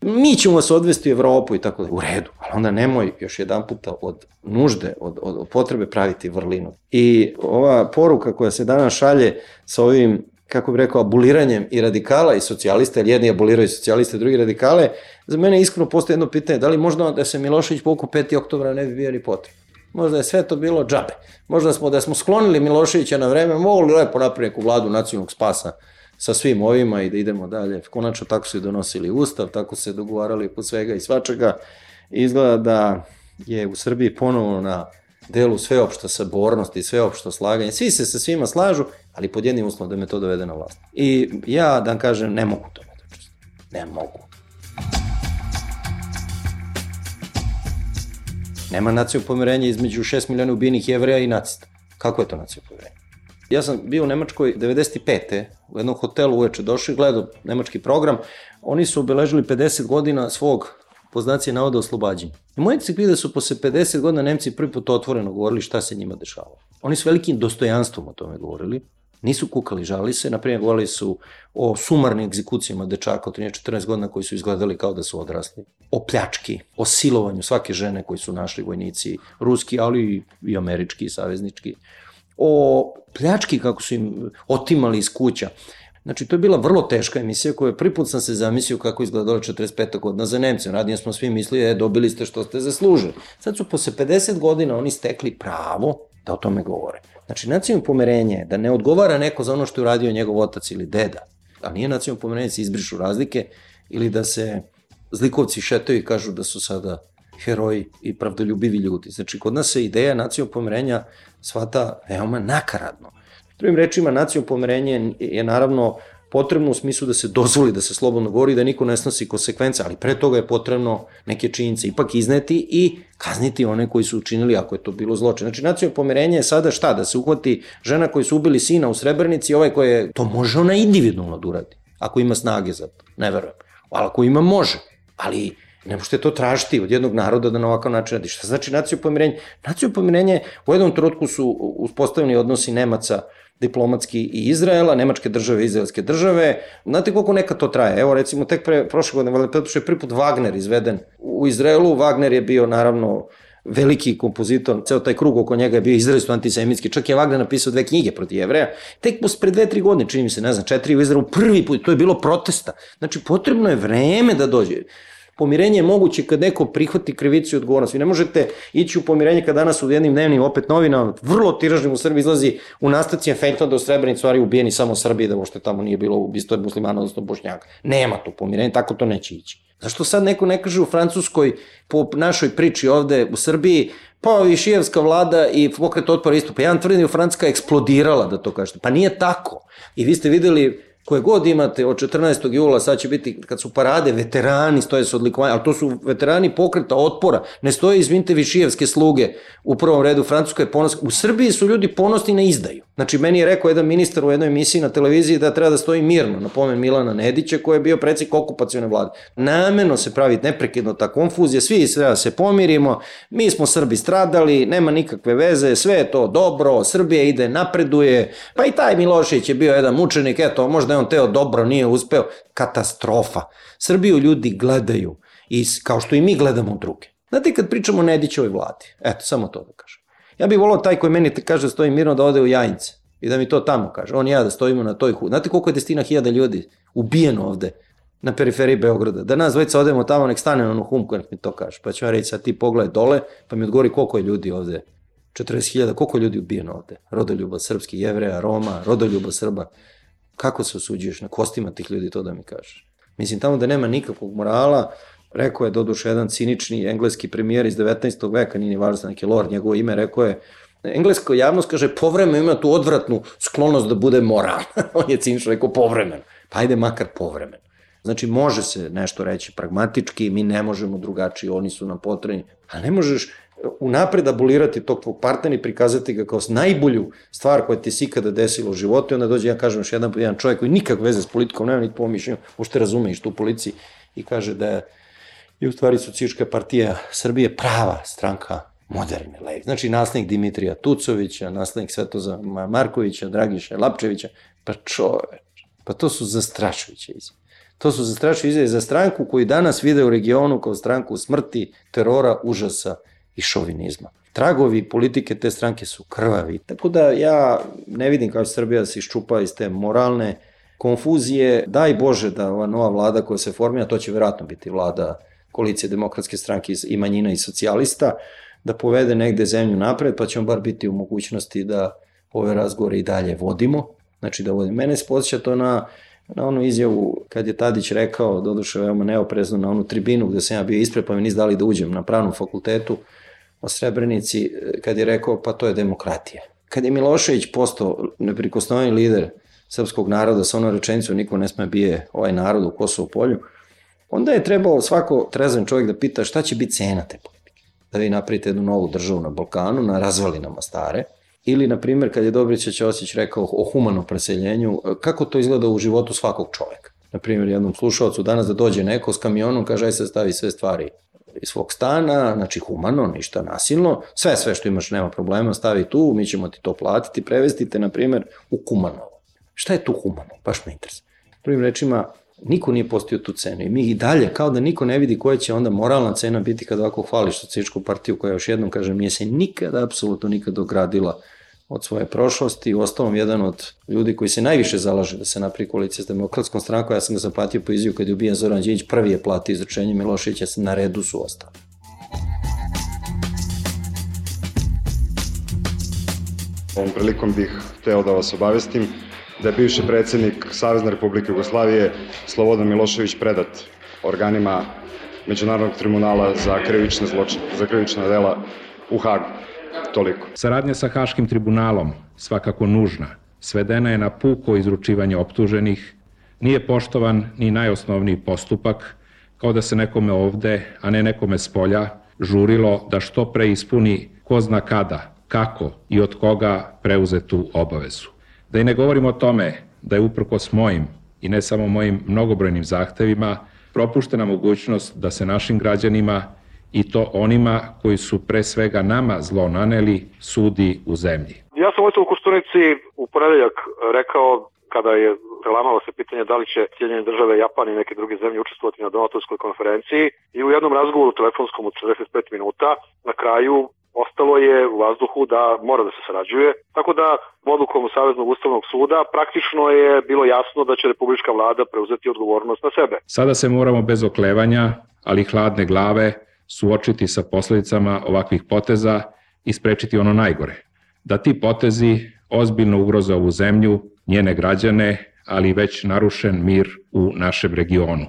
mi ćemo vas odvesti u Evropu i tako da, u redu, ali onda nemoj još jedan puta od nužde, od, od, od potrebe praviti vrlinu. I ova poruka koja se danas šalje sa ovim, kako bih rekao, abuliranjem i radikala i socijalista, jer jedni aboliraju socijaliste, drugi radikale, za mene iskreno postoje jedno pitanje, da li možda da se Milošević povukao petog oktobra ne bi bio ni potrebno. Možda je sve to bilo džabe. Možda smo, da smo sklonili Miloševića na vreme, mogli lepo napraviti neku vladu nacionalnog spasa sa svim ovima i da idemo dalje. Konačno tako su i donosili ustav, tako se dogovarali po svega i svačega. Izgleda da je u Srbiji ponovo na delu sveopšta sabornost i sveopšto slaganje. Svi se sa svima slažu, ali pod jednim uslovom da me to dovede na vlast. I ja, da vam kažem, ne mogu to da učestim. Ne mogu. Nema nacionalnog pomirenja između šest miliona ubijenih Jevreja i nacista. Kako je to nacionalno pomirenje? Ja sam bio u Nemačkoj devedeset pete u jednom hotelu uveče došao i gledao nemački program. Oni su obeležili pedeset godina svog, po znaci navoda, oslobađenja. I moj cikl da su posle pedeset godina Nemci prvi put otvoreno govorili šta se njima dešavalo. Oni su velikim dostojanstvom o tome govorili. Nisu kukali, žali se. Naprimjer, govorili su o sumarnim egzekucijama dečaka od trinaest četrnaest godina koji su izgledali kao da su odrasli. O pljački, o silovanju svake žene koji su našli vojnici, ruski, ali i američki, i saveznički. O pljački kako su im otimali iz kuća. Znači, to je bila vrlo teška emisija koja prvi put sam se zamislio kako izgledalo četrdeset peta godina za Nemce. Radije smo svi mislili, e, dobili ste što ste zaslužili. Sad su posle pedeset godina oni stekli pravo da o tome govore. Znači, nacionalno pomirenje je da ne odgovara neko za ono što je uradio njegov otac ili deda, a nije nacionalno pomirenje da se izbrišu razlike ili da se zlikovci šetaju i kažu da su sada heroji i pravdoljubivi ljudi. Znači, kod nas se ideja nacionalnog pomirenja shvata veoma nakaradno. Drugim rečima, nacionalno pomirenje je naravno potrebno u smislu da se dozvoli, da se slobodno govori, da niko ne snosi konsekvence, ali pre toga je potrebno neke činjenice ipak izneti i kazniti one koji su učinili ako je to bilo zločin. Znači, nacionalno pomirenje je sada šta? Da se uhvati žena koji su ubili sina u Srebrenici, ovaj koji je, to može ona individualno da uradi, ako ima snage za to, ne verujem. Ali ako ima, može, ali ne možete to tražiti od jednog naroda da na ovakav način radi. Šta znači nacionalno pomirenje? Nacionalno pomirenje, u jednom trenutku su uspostavljeni odnosi Nemaca diplomatski i Izraela, nemačke države i izraelske države. Znate koliko nekad to traje? Evo recimo tek pre prošle godine, valjda je prvi put Wagner izveden u Izraelu. Wagner je bio naravno veliki kompozitor, ceo taj krug oko njega je bio izrazito antisemitski, čak je Wagner napisao dve knjige protiv Jevreja. Tek pre dve, tri godine, čini mi se, ne znam, četiri u Izraelu, prvi put, to je bilo protesta. Znači, potrebno je vreme da dođe. Pomirenje je moguće kad neko prihvati krivicu i odgovornost. Vi ne možete ići u pomirenje kad danas u jednim dnevnim opet novinama, vrlo tiražnim u Srbiji, izlazi u nastavci efektno da u Srebrenici stvari ubijeni samo Srbiji, da uopšte tamo nije bilo ubistvo muslimana, odnosno Bošnjaka. Nema tu pomirenje, tako to neće ići. Zašto sad neko ne kaže u Francuskoj, po našoj priči ovde u Srbiji, pa i šijevska vlada i pokret otpora isto. Pa ja vam tvrdim da je Francuska eksplodirala, da to kažete. Pa nije tako. I vi ste videli koje god imate od četrnaestog jula, sad će biti, kad su parade, veterani stoje sa odlikovanjem, ali to su veterani pokreta otpora, ne stoje, izvinite, višijevske sluge u prvom redu, Francuska je ponosna. U Srbiji su ljudi ponosni na izdaju. Znači, meni je rekao jedan ministar u jednoj emisiji na televiziji da treba da stoji mirno, na pomen Milana Nedića, koji je bio predsjednik okupacione vlade. Namerno se pravi neprekidno ta konfuzija, svi sve da se pomirimo, mi smo Srbi stradali, nema nikakve veze, sve je to dobro, Srbija ide, napreduje, pa i taj Milošević je bio jedan mučenik, eto, možda je on teo dobro, nije uspeo. Katastrofa. Srbiju ljudi gledaju, i, kao što i mi gledamo druge. Znate, kad pričamo o Nedićevoj vladi, eto, samo to da kažem. Ja bih volao taj koji meni kaže da stoji mirno da ode u Jajince i da mi to tamo kaže. On i ja da stojimo na toj hu. Znate koliko je desetina hiljada ljudi ubijeno ovde na periferiji Beograda? Da nas dvojica odemo tamo, nek stane na onu humku, nek mi to kaže. Pa ću ja reći, sad ti pogledaj dole, pa mi odgovori koliko je ljudi ovde. četrdeset hiljada, koliko je ljudi ubijeno ovde? Rodoljuba srpskih, Jevreja, Roma, rodoljuba Srba. Kako se osuđuješ na kostima tih ljudi, to da mi kažeš? Mislim, tamo da nema nikakvog morala, rekao je doduše jedan cinični engleski premijer iz devetnaestog veka, nije ni važno neki lord, njegovo ime, rekao je, engleska javnost kaže, povremeno ima tu odvratnu sklonost da bude moral. On je cinično rekao povremeno. Pa ajde makar povremeno. Znači, može se nešto reći pragmatički, mi ne možemo drugačiji, oni su nam potrebni, a ne možeš unapred abolirati tog tvog partnera i prikazati ga kao najbolju stvar koja ti se ikada desila u životu i onda dođe, ja kažem još jedan, jedan čovjek koji nikak veze s politikom nema, niti pomišljenju, možete razume što u policiji, i kaže da je i u stvari Socijalistička partija Srbije prava stranka moderne levi. Znači, naslednik Dimitrija Tucovića, naslednik Svetoza Markovića, Dragiša Lapčevića, pa čoveč, pa to su zastrašujuće izjave. To su zastrašujuće izjave za stranku koju danas vide u regionu kao stranku smrti, terora, užasa i šovinizma. Tragovi politike te stranke su krvavi. Tako da ja ne vidim kao Srbija se iščupa iz te moralne konfuzije. Daj Bože da ova nova vlada koja se formira, to će verovatno biti vlada koalicije demokratske stranke i manjina i socijalista, da povede negde zemlju napred, pa ćemo bar biti u mogućnosti da ove razgovore i dalje vodimo. Znači da vodimo. Mene se podsjeća to na, na onu izjavu kad je Tadić rekao, doduše veoma neoprezno, na onu tribinu gde sam ja bio ispred, pa mi nisu dali da uđem na pravnom fakultetu o Srebrenici, kad je rekao pa to je demokratija. Kad je Milošević postao neprikosnoveni lider srpskog naroda sa onom rečenicom niko ne sme bije ovaj narod u Kosovo polju, onda je trebao svako trezan čovjek da pita šta će biti cena te politike. Da vi napravite jednu novu državu na Balkanu, na razvalinama stare, ili, na primjer, kad je Dobrica Ćosić rekao o humanom preseljenju, kako to izgleda u životu svakog čovjeka. Na primjer, jednom slušalcu danas da dođe neko s kamionom, kaže aj se stavi sve stvari iz svog stana, znači humano, ništa nasilno, sve, sve što imaš nema problema, stavi tu, mi ćemo ti to platiti, prevesti te, na primjer, u Kumanovo. Šta je tu humano? Baš me interesuje. Prvim rečima, niko nije postio tu cenu i mi i dalje, kao da niko ne vidi koja će onda moralna cena biti kada ovako hvališ Socijalističku partiju koja, još jednom kažem, nije se nikada, apsolutno nikada ogradila od svoje prošlosti. Uostalom, jedan od ljudi koji se najviše zalaže da se napravi koalicija s demokratskom strankom, ja sam ga zaplatio po izjavu kad je ubijen Zoran Đinđić, prvi je platio izručenje Miloševića, na redu su ostali. Ovom prilikom bih hteo da vas obavestim da je bivši predsjednik Savezne Republike Jugoslavije Slobodan Milošević predat organima Međunarodnog tribunala za krivične zločine, za krivična dela u Hagu. Toliko. Saradnja sa Haškim tribunalom, svakako nužna, svedena je na puko izručivanje optuženih, nije poštovan ni najosnovniji postupak, kao da se nekome ovde, a ne nekome s polja, žurilo da što pre ispuni ko zna kada, kako i od koga preuze tu obavezu. Da i ne govorimo o tome da je uprkos mojim i ne samo mojim mnogobrojnim zahtevima propuštena mogućnost da se našim građanima i to onima koji su pre svega nama zlo naneli sudi u zemlji. Ja sam ovdje u Koštunici u ponedeljak rekao, kada je prelamalo se pitanje da li će Sjedinjene države, Japan i neke druge zemlje učestvovati na donatorskoj konferenciji, i u jednom razgovoru telefonskom od četrdeset pet minuta na kraju ostalo je u vazduhu da mora da se sarađuje, tako da odlukom Saveznog ustavnog suda praktično je bilo jasno da će republička vlada preuzeti odgovornost na sebe. Sada se moramo bez oklevanja, ali hladne glave, suočiti sa posledicama ovakvih poteza i sprečiti ono najgore. Da ti potezi ozbiljno ugroze ovu zemlju, njene građane, ali već narušen mir u našem regionu.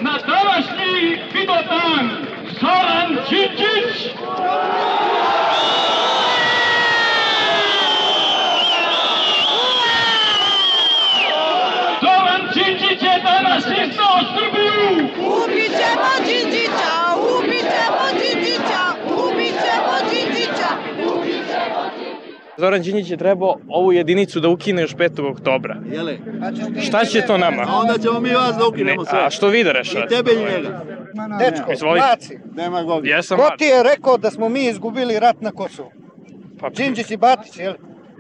Na današnji Vidovdan Zoran Đinđić! Zoran Đinđić je trebao ovu jedinicu da ukine još petog oktobra. Jele? Šta će to nama? A onda ćemo mi vas da ukinemo sve. A što vi da rešavate? I tebe i njega. Dečko, Maci, ko ti je rekao da smo mi izgubili rat na Kosovu? Đinđić i Batić, jel?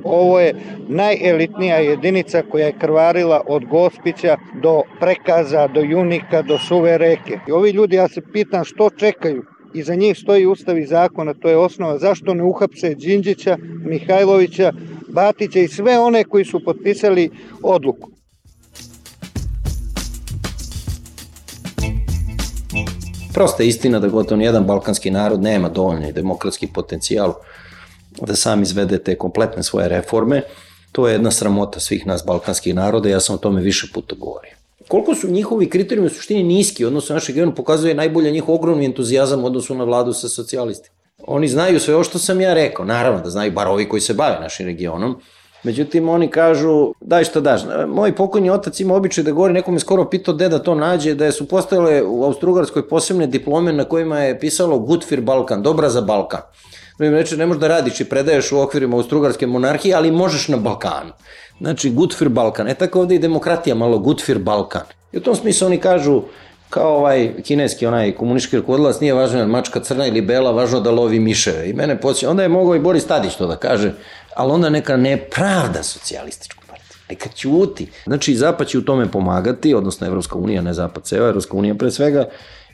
Ovo je najelitnija jedinica koja je krvarila od Gospića do Prekaza, do Junika, do Suve reke. I ovi ljudi, ja se pitam što čekaju? Iza njih stoji ustav i zakon, a to je osnova. Zašto ne uhapse Đinđića, Mihajlovića, Batića i sve one koji su potpisali odluku? Prosta je istina da gotovo nijedan balkanski narod nema dovoljni demokratski potencijal da sam izvede te kompletne svoje reforme. To je jedna sramota svih nas balkanskih naroda, ja sam o tome više puta govorio. Koliko su njihovi kriterijumi u suštini niski, odnosno našeg regiona, pokazuje najbolje njihov ogromni entuzijazam u odnosu na vladu sa socijalistima. Oni znaju sve ovo što sam ja rekao, naravno da znaju bar ovi koji se bave našim regionom, međutim oni kažu daj šta daš. Moj pokojni otac ima običaj da govori, neko me skoro pitao gde da to nađe, da su postojale u Austrougarskoj posebne diplome na kojima je pisalo Good for Balkan, dobra za Balkan. Drugim reče, ne možeš da radiš i predaješ u okvirima Austrougarske monarhije, ali možeš na Balkanu. Znači, good for Balkan. E tako ovde i demokratija malo good for Balkan. I u tom smislu oni kažu, kao ovaj kineski, onaj komunistički rukovodilac, nije važno je mačka crna ili bela, važno da lovi miševe. I mene podsjeća, onda je mogao i Boris Tadić to da kaže, ali onda neka nepravda socijalističku partiju, neka ćuti. Znači, Zapad će u tome pomagati, odnosno Evropska unija, ne Zapad ceo, Evropska unija pre svega,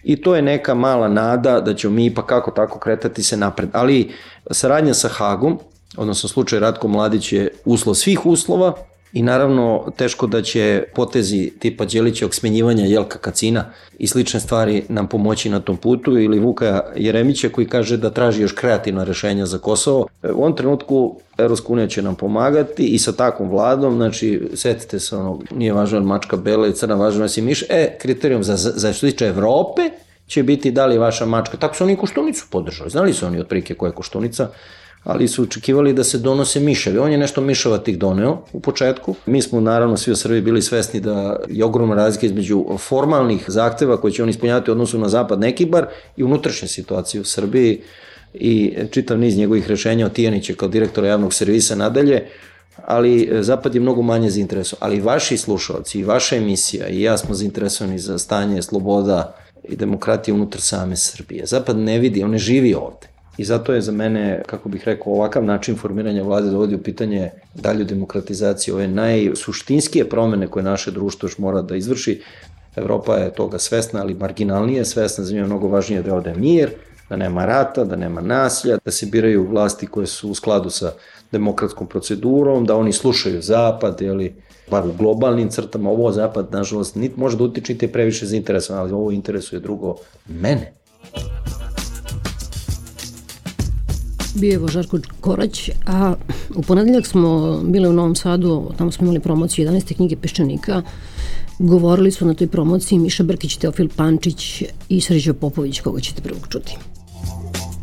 i to je neka mala nada da ćemo mi ipak kako tako kretati se napred. Ali saradnja sa Hagom, odnosno slučaj Ratko Mladić je uslov svih uslova i naravno teško da će potezi tipa Đelićevog smenjivanja Jelka Kacina i slične stvari nam pomoći na tom putu, ili Vuka Jeremića koji kaže da traži još kreativna rešenja za Kosovo. U ovom trenutku Evropska unija će nam pomagati i sa takvom vladom, znači setite se ono, nije važno mačka bela i crna, važno je si miš, e, kriterijum za, za što tiče Evrope će biti da li je vaša mačka, tako su oni Koštunicu podržali, znali su oni otprilike koja je Koštunica, ali su očekivali da se donose miševi. On je nešto miševa tih doneo u početku. Mi smo naravno svi u Srbiji bili svesni da je ogromna razlika između formalnih zahteva koje će on ispunjavati u odnosu na Zapad Nekibar i unutrašnje situacije u Srbiji i čitav niz njegovih rešenja od Tijanića kao direktora javnog servisa nadalje, ali Zapad je mnogo manje zainteresovan. Ali vaši slušalci i vaša emisija i ja smo zainteresovani za stanje sloboda i demokratije unutar same Srbije. Zapad ne vidi, on ne živi ovde. I zato je za mene, kako bih rekao, ovakav način formiranja vlade dovodi u pitanje dalju demokratizaciju, ove najsuštinskije promene koje naše društvo još mora da izvrši. Evropa je toga svesna, ali marginalnije svesna, za nju je mnogo važnije da ode mir, da nema rata, da nema nasilja, da se biraju vlasti koje su u skladu sa demokratskom procedurom, da oni slušaju Zapad, jeli, bar u globalnim crtama. Ovo Zapad, nažalost, niti može da utiče, niti je previše zainteresovan, ali ovo interesuje drugo mene. Bio je Žarko Korać, a u ponedeljak smo bili u Novom Sadu, tamo smo imali promociju jedanaeste knjige Peščanika. Govorili su na toj promociji Miša Brkić, Teofil Pančić i Srđo Popović, koga ćete prvog čuti.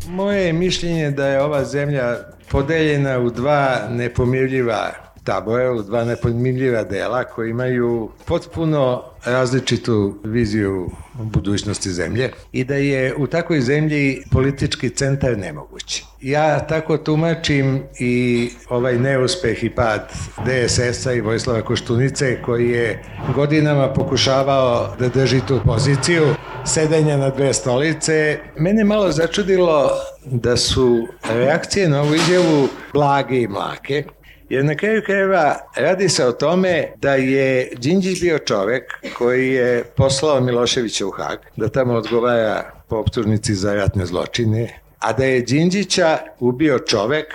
Moje mišljenje da je ova zemlja podeljena u dva nepomirljiva tabora, u dva nepomirljiva dela koji imaju potpuno različitu viziju budućnosti zemlje i da je u takvoj zemlji politički centar nemoguć. Ja tako tumačim i ovaj neuspeh i pad de es es a i Vojislava Koštunice koji je godinama pokušavao da drži tu poziciju sedenja na dve stolice. Mene malo začudilo da su reakcije na ovu izjavu blage i mlake, jer na kraju krajeva radi se o tome da je Đinđić bio čovek koji je poslao Miloševića u Hag, da tamo odgovara po optužnici za ratne zločine, a da je Đinđića ubio čovek,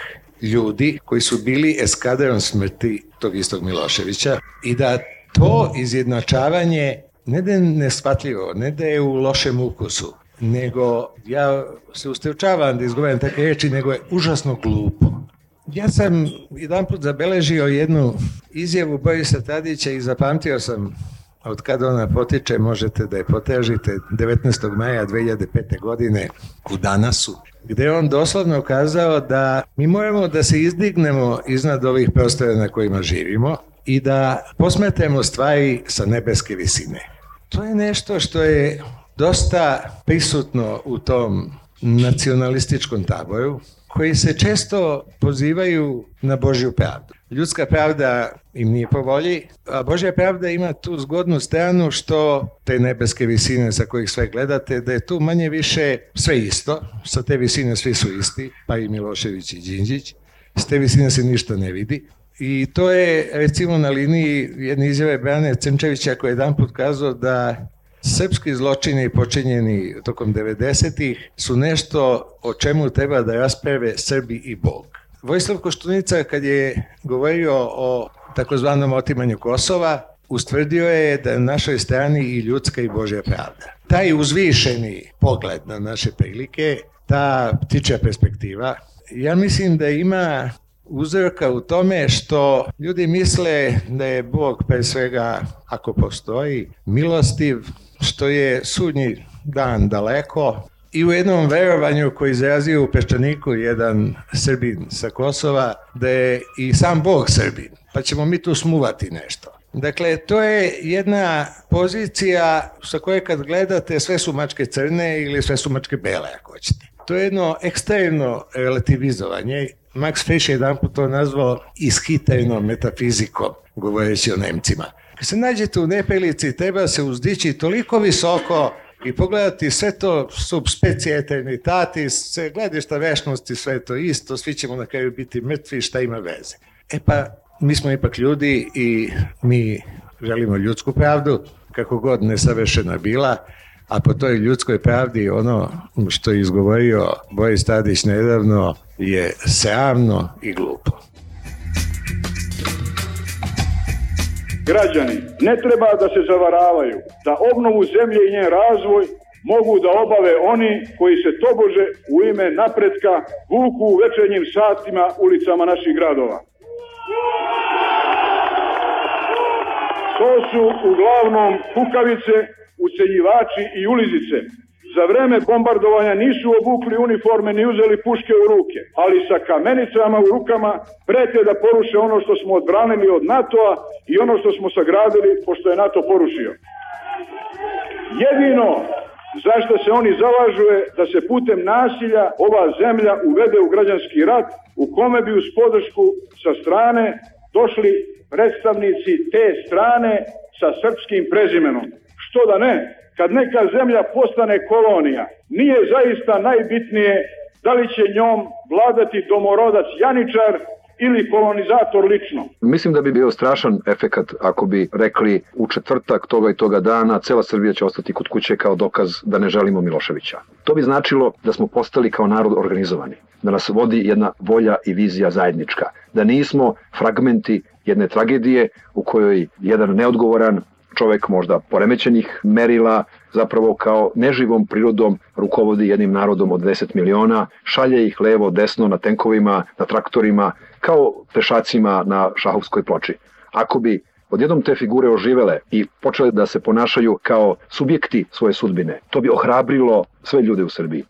ljudi koji su bili eskadron smrti tog istog Miloševića i da to izjednačavanje ne da je neshvatljivo, ne da je u lošem ukusu, nego ja se ustrčavam da izgovaram takve reči, nego je užasno glupo. Ja sam jedan put zabeležio jednu izjavu Borisa Tadića i zapamtio sam od kada ona potiče, možete da je potražite, devetnaestog maja dve hiljade pete. godine u Danasu, gde je on doslovno kazao da mi moramo da se izdignemo iznad ovih prostora na kojima živimo i da posmetramo stvari sa nebeske visine. To je nešto što je dosta prisutno u tom nacionalističkom taboru, koji se često pozivaju na Božju pravdu. Ljudska pravda im nije po volji, a Božja pravda ima tu zgodnu stranu što te nebeske visine sa kojih sve gledate, da je tu manje više sve isto, sa te visine svi su isti, pa i Milošević i Đinđić, s te visine se ništa ne vidi. I to je recimo na liniji jedne izjave Brane Crnčevića koji je jedan put kazao da srpski zločini počinjeni tokom devedesetih su nešto o čemu treba da rasprave Srbi i Bog. Vojislav Koštunica kad je govorio o takozvanom otimanju Kosova, ustvrdio je da je na našoj strani i ljudska i Božja pravda. Taj uzvišeni pogled na naše prilike, ta ptičja perspektiva, ja mislim da ima uzroka u tome što ljudi misle da je Bog pre svega, ako postoji, milostiv, što je sudnji dan daleko i u jednom verovanju koji izrazio u Peščaniku jedan Srbin sa Kosova, da je i sam Bog Srbin, pa ćemo mi tu smuvati nešto. Dakle, to je jedna pozicija sa koje kad gledate sve su mačke crne ili sve su mačke bele, ako hoćete. To je jedno ekstremno relativizovanje. Max Frisch je jedan put to nazvao ishitrenom metafizikom, govoreći o Nemcima. Kad se nađete u neprilici, treba se uzdići toliko visoko i pogledati sve to sub specie eternitatis, sve gledišta vešnosti, sve to isto, svi ćemo na kraju biti mrtvi, šta ima veze. E pa, mi smo ipak ljudi i mi želimo ljudsku pravdu, kako god nesavršena bila, a po toj ljudskoj pravdi ono što je izgovorio Boris Tadić nedavno je sramno i glupo. Građani ne treba da se zavaravaju da obnovu zemlje i njen razvoj mogu da obave oni koji se tobože u ime napretka vuku u večernjim satima ulicama naših gradova. To su uglavnom kukavice, ucenjivači i ulizice. Za vreme bombardovanja nisu obukli uniforme ni uzeli puške u ruke, ali sa kamenicama u rukama prete da poruše ono što smo odbranili od NATO-a i ono što smo sagradili pošto je NATO porušio. Jedino zašto se oni zalažu je da se putem nasilja ova zemlja uvede u građanski rat u kome bi uz podršku sa strane došli predstavnici te strane sa srpskim prezimenom. Što da ne? Kad neka zemlja postane kolonija, nije zaista najbitnije da li će njom vladati domorodac Janičar ili kolonizator lično. Mislim da bi bio strašan efekat ako bi rekli u četvrtak toga i toga dana cela Srbija će ostati kod kuće kao dokaz da ne želimo Miloševića. To bi značilo da smo postali kao narod organizovani, da nas vodi jedna volja i vizija zajednička, da nismo fragmenti jedne tragedije u kojoj jedan neodgovoran čovek možda poremećenih merila, zapravo kao neživom prirodom rukovodi jednim narodom od deset miliona, šalje ih levo, desno na tenkovima, na traktorima, kao pešacima na šahovskoj ploči. Ako bi odjednom te figure oživele i počele da se ponašaju kao subjekti svoje sudbine, to bi ohrabrilo sve ljude u Srbiji.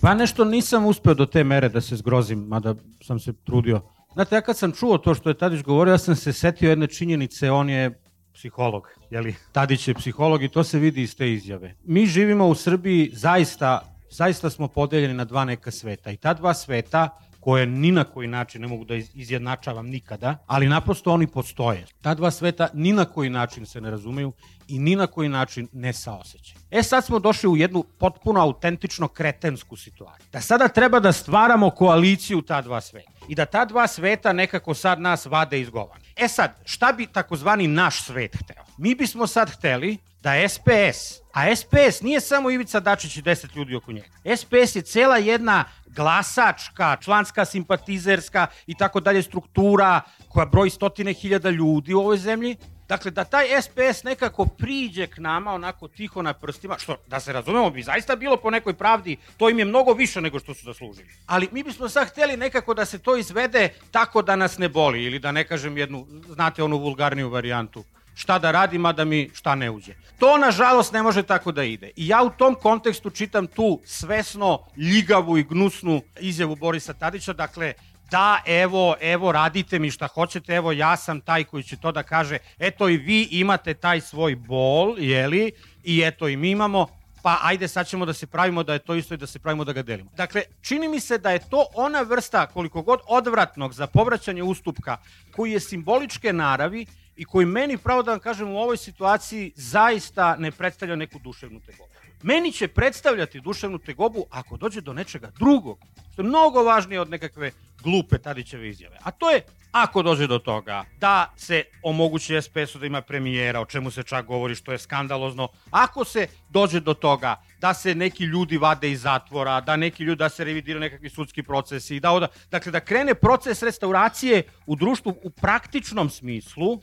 Pa nešto nisam uspeo do te mere da se zgrozim, mada sam se trudio. Znate, ja kad sam čuo to što je Tadić govorio, ja sam se setio jedne činjenice, on je psiholog, jeli? Tadić je psiholog i to se vidi iz te izjave. Mi živimo u Srbiji, zaista, zaista smo podeljeni na dva neka sveta i ta dva sveta, koje ni na koji način ne mogu da izjednačavam nikada, ali naprosto oni postoje. Ta dva sveta ni na koji način se ne razumeju i ni na koji način ne saosećaju. E sad smo došli u jednu potpuno autentično kretensku situaciju. Da sada treba da stvaramo koaliciju ta dva sveta i da ta dva sveta nekako sad nas vade iz govana. E sad, šta bi takozvani naš svet hteo? Mi bismo sad hteli da S P S, a S P S nije samo Ivica Dačić i deset ljudi oko njega. S P S je cela jedna glasačka, članska, simpatizerska i tako dalje struktura koja broji stotine hiljada ljudi u ovoj zemlji. Dakle, da taj S P S nekako priđe k nama onako tiho na prstima, što, da se razumemo, bi zaista bilo po nekoj pravdi, to im je mnogo više nego što su zaslužili. Ali mi bismo sad hteli nekako da se to izvede tako da nas ne boli, ili da ne kažem jednu, znate onu vulgarniju varijantu, šta da radim, a da mi šta ne uđe. To, nažalost, ne može tako da ide. I ja u tom kontekstu čitam tu svesno ljigavu i gnusnu izjavu Borisa Tadića, dakle, da, evo, evo, radite mi šta hoćete, evo, ja sam taj koji će to da kaže, eto i vi imate taj svoj bol, jeli, i eto i mi imamo, pa ajde sad ćemo da se pravimo da je to isto i da se pravimo da ga delimo. Dakle, čini mi se da je to ona vrsta koliko god odvratnog za povraćanje ustupka koji je simboličke naravi i koji meni, pravo da vam kažem, u ovoj situaciji zaista ne predstavlja neku duševnu tegobu. Meni će predstavljati duševnu tegobu ako dođe do nečega drugog, što je mnogo važnije od nekakve glupe Tadićeve izjave. A to je, ako dođe do toga da se omogući es pe esu da ima premijera, o čemu se čak govori što je skandalozno, ako se dođe do toga da se neki ljudi vade iz zatvora, da neki ljudi, da se revidiraju nekakvi sudski procesi, da oda, dakle da krene proces restauracije u društvu u praktičnom smislu,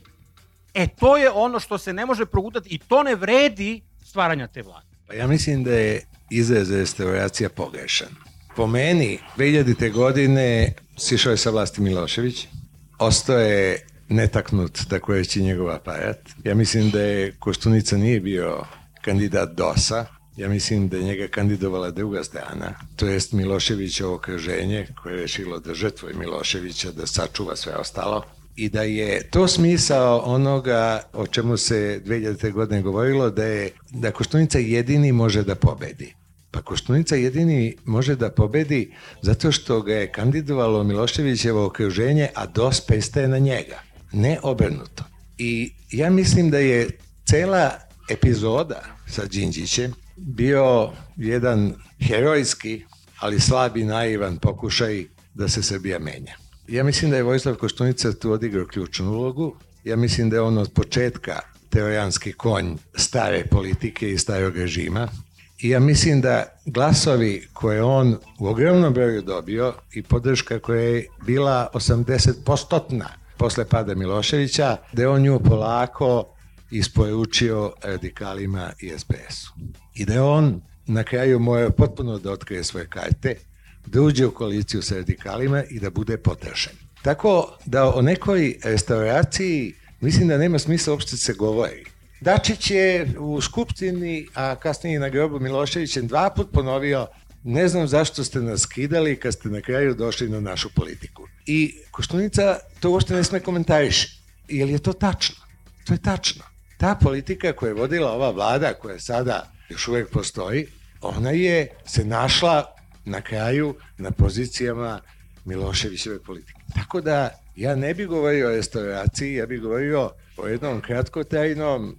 e to je ono što se ne može progutati i to ne vredi stvaranja te vlade. Pa ja mislim da je izraz restauracija pogrešan. Po meni, dve hiljadite godine sišao je sa vlasti Milošević, ostao je netaknut, tako reći, njegov aparat. Ja mislim da je Koštunica nije bio kandidat dosa, ja mislim da je njega kandidovala druga strana, to jest Miloševićevo okruženje koje je rešilo da žrtvuje Miloševića, da sačuva sve ostalo. I da je to smisao onoga o čemu se dve hiljadite godine govorilo, da je da Koštunica jedini može da pobedi. Pa Koštunica jedini može da pobedi zato što ga je kandidovalo Miloševićevo okruženje, a dos pristaje na njega, ne obrnuto. I ja mislim da je cela epizoda sa Đinđićem bio jedan herojski, ali slab i naivan pokušaj da se Srbija menja. Ja mislim da je Vojislav Koštunica tu odigrao ključnu ulogu. Ja mislim da je on od početka trojanski konj stare politike i starog režima. I ja mislim da glasovi koje on u ogromnom broju dobio i podrška koja je bila osamdeset posto posle pada Miloševića, da je on nju polako isporučio radikalima i es pe esu. I da je on na kraju morao potpuno da otkrije svoje karte, da uđe u koaliciju sa radikalima i da bude potrašen. Tako da o nekoj restauraciji mislim da nema smisla uopšte se govori. Dačić je u Skupštini, a kasnije na grobu Miloševićem dva put ponovio: ne znam zašto ste nas skidali kad ste na kraju došli na našu politiku. I Koštunica to uopšte ne sme komentariše. Jer je to tačno? To je tačno. Ta politika koja je vodila ova vlada, koja sada još uvek postoji, ona je se našla na kraju na pozicijama Miloševićeve politike. Tako da ja ne bih govorio o restauraciji, ja bih govorio o jednom kratkotrajnom,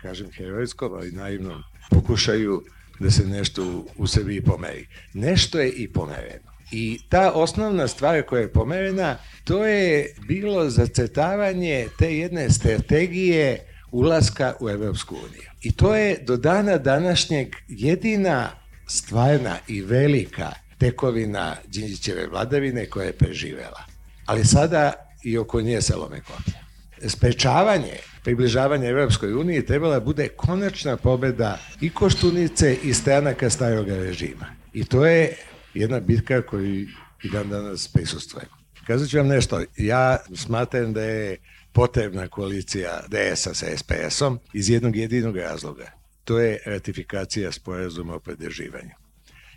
kažem herojskom, ali naivnom pokušaju da se nešto u Srbiji pomeri. Nešto je i pomereno. I ta osnovna stvar koja je pomerena, to je bilo zacrtavanje te jedne strategije ulaska u Evropsku uniju. I to je do dana današnjeg jedina stvarna i velika tekovina Đinđićeve vladavine koja je preživela. Ali sada i oko nje se lome koplja. Sprečavanje približavanja Evropskoj uniji trebala bude konačna pobeda i Koštunice i stranaka starog režima. I to je jedna bitka koju i dan danas prisustvujemo. Kazat ću vam nešto, ja smatram da je potrebna koalicija de esa sa es pe esom iz jednog jedinog razloga. To je ratifikacija sporazuma o pridruživanju.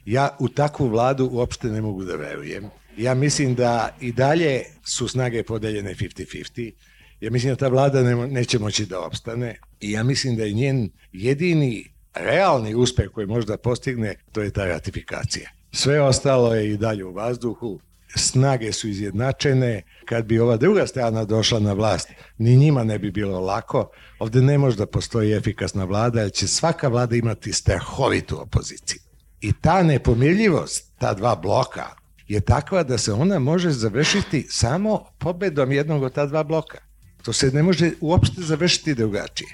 Ja u takvu vladu uopšte ne mogu da verujem. Ja mislim da i dalje su snage podeljene pedeset pedeset. Ja mislim da ta vlada ne, neće moći da opstane i ja mislim da je njen jedini realni uspeh koji možda postigne, to je ta ratifikacija. Sve ostalo je i dalje u vazduhu, snage su izjednačene, kad bi ova druga strana došla na vlast, ni njima ne bi bilo lako. Ovde ne može da postoji efikasna vlada, jer će svaka vlada imati strahovitu opoziciju. I ta nepomirljivost, ta dva bloka, je takva da se ona može završiti samo pobedom jednog od ta dva bloka. To se ne može uopšte završiti drugačije.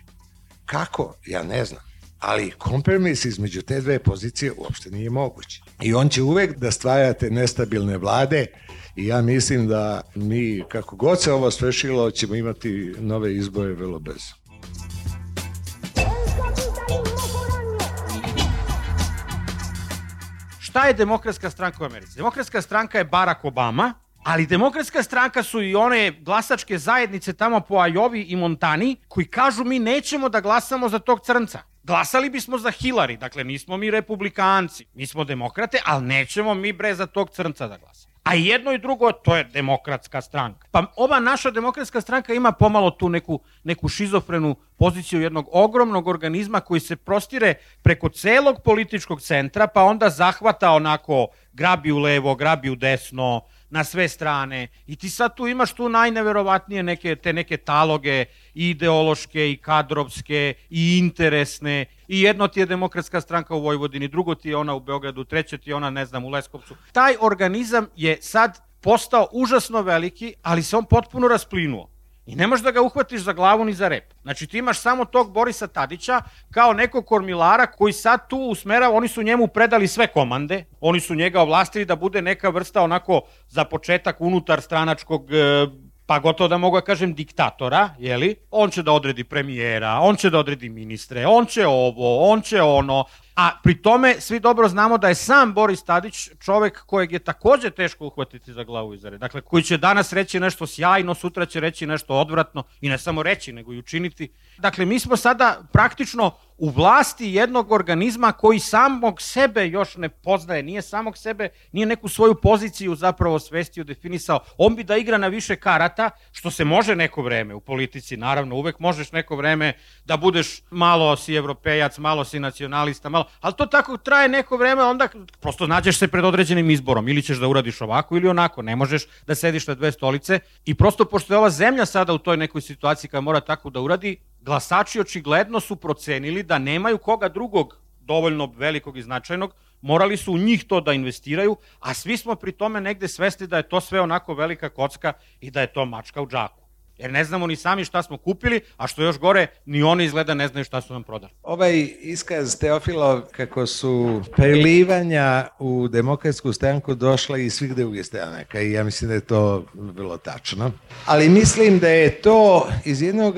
Kako? Ja ne znam. Ali kompromis između te dve pozicije uopšte nije moguć. I on će uvek da stvarate nestabilne vlade i ja mislim da mi, kako god se ovo svršilo, ćemo imati nove izbore vrlo brzo. Šta je Demokratska stranka u Americi? Demokratska stranka je Barack Obama, ali Demokratska stranka su i one glasačke zajednice tamo po Ajovi i Montani koji kažu mi nećemo da glasamo za tog crnca. Glasali bismo za Hillary, dakle nismo mi republikanci, mi smo demokrate, ali nećemo mi bre za tog crnca da glasamo. A jedno i drugo, to je demokratska stranka. Pa ova naša demokratska stranka ima pomalo tu neku, neku šizofrenu poziciju jednog ogromnog organizma koji se prostire preko celog političkog centra, pa onda zahvata onako, grabi u levo, grabi u desno, na sve strane. I ti sad tu imaš tu najneverovatnije neke, te neke taloge, i ideološke, i kadrovske, i interesne. I jedno ti je demokratska stranka u Vojvodini, drugo ti je ona u Beogradu, treće ti je ona, ne znam, u Leskovcu. Taj organizam je sad postao užasno veliki, ali se on potpuno rasplinuo. I ne možeš da ga uhvatiš za glavu ni za rep. Znači ti imaš samo tog Borisa Tadića kao nekog kormilara koji sad tu usmerava, oni su njemu predali sve komande, oni su njega ovlastili da bude neka vrsta onako za početak unutar stranačkog, pa gotovo da mogu da kažem diktatora, jeli? On će da odredi premijera, on će da odredi ministre, on će ovo, on će ono, a pri tome svi dobro znamo da je sam Boris Tadić čovek kojeg je takođe teško uhvatiti za glavu i za rep. Dakle, koji će danas reći nešto sjajno, sutra će reći nešto odvratno i ne samo reći, nego i učiniti. Dakle, mi smo sada praktično u vlasti jednog organizma koji samog sebe još ne poznaje, nije samog sebe, nije neku svoju poziciju zapravo svestio, definisao. On bi da igra na više karata, što se može neko vreme u politici, naravno, uvek možeš neko vreme da budeš malo si evropejac, malo si nacionalista, malo, ali to tako traje neko vreme, onda prosto nađeš se pred određenim izborom, ili ćeš da uradiš ovako ili onako, ne možeš da sediš na dve stolice i prosto pošto je ova zemlja sada u toj nekoj situaciji koja mora tako da uradi, glasači očigledno su procenili da nemaju koga drugog dovoljno velikog i značajnog, morali su u njih to da investiraju, a svi smo pri tome negde svesni da je to sve onako velika kocka i da je to mačka u džaku. Jer ne znamo ni sami šta smo kupili, a što još gore, ni oni izgleda ne znaju šta su nam prodali. Ovaj iskaz Teofilov kako su prelivanja u demokratsku stranku došla iz svih drugih stranaka i ja mislim da je to bilo tačno. Ali mislim da je to iz jednog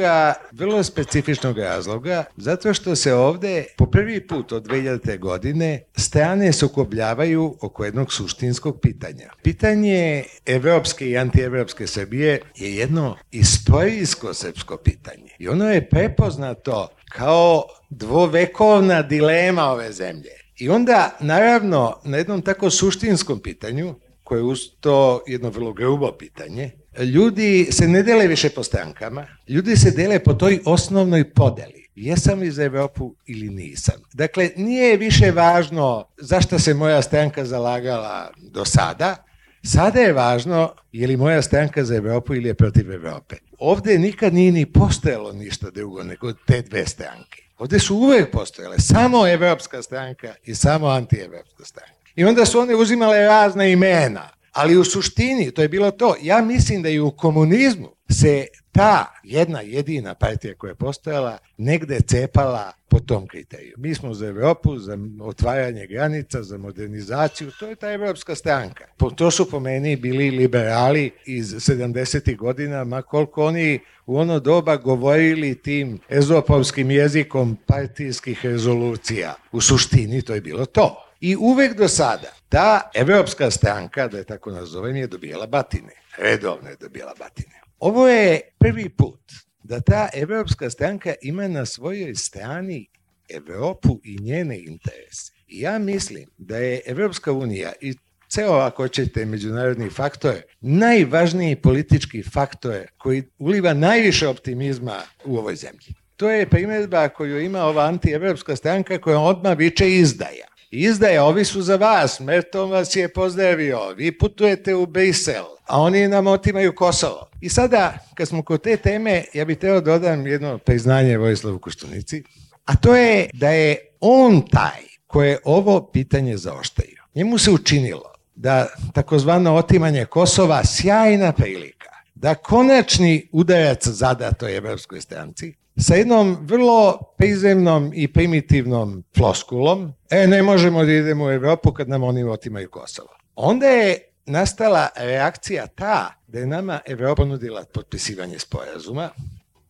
vrlo specifičnog razloga, zato što se ovde po prvi put od dve hiljadite. godine strane sukobljavaju oko jednog suštinskog pitanja. Pitanje evropske i antievropske Srbije je jedno istorijsko srpsko pitanje. I ono je prepoznato kao dvovekovna dilema ove zemlje. I onda, naravno, na jednom tako suštinskom pitanju, koje je uz to jedno vrlo grubo pitanje, ljudi se ne dele više po strankama, ljudi se dele po toj osnovnoj podeli. Jesam li za Evropu ili nisam? Dakle, nije više važno zašto se moja stranka zalagala do sada, sada je važno je li moja stranka za Evropu ili je protiv Evrope. Ovde nikad nije ni postojalo ništa drugo nego te dve stranke. Ovde su uvek postojale samo evropska stranka i samo antievropska stranka. I onda su one uzimale razna imena, ali u suštini to je bilo to. Ja mislim da i u komunizmu se ta jedna jedina partija koja je postojala negde cepala po tom kriteriju. Mi smo za Evropu, za otvaranje granica, za modernizaciju, to je ta evropska stranka. To su po meni bili liberali iz sedamdesetih godina, ma koliko oni u ono doba govorili tim ezopovskim jezikom partijskih rezolucija. U suštini to je bilo to. I uvek do sada ta evropska stranka, da je tako nazovem, je dobijala batine. Redovno je dobijala batine. Ovo je prvi put da ta evropska stranka ima na svojoj strani Evropu i njene interese. I ja mislim da je Evropska unija i ceo, ako ćete, međunarodni faktor, najvažniji politički faktor koji uliva najviše optimizma u ovoj zemlji. To je primjedba koju ima ova antievropska stranka koja odmah viče izdaja. Izdaja, ovi su za vas, Merton vas je pozdravio, vi putujete u Brisel, a oni nam otimaju Kosovo. I sada, kad smo kod te teme, ja bih teo dodam jedno priznanje Vojislavu Koštunici, a to je da je on taj koji je ovo pitanje zaoštrio. Njemu se učinilo da takozvano otimanje Kosova sjajna prilika, da konačni udarac zada toj evropskoj stranci, sa jednom vrlo prizemnom i primitivnom floskulom, e, ne možemo da idemo u Evropu kad nam oni otimaju Kosovo. Onda je nastala reakcija ta da je nama Evropa ponudila potpisivanje sporazuma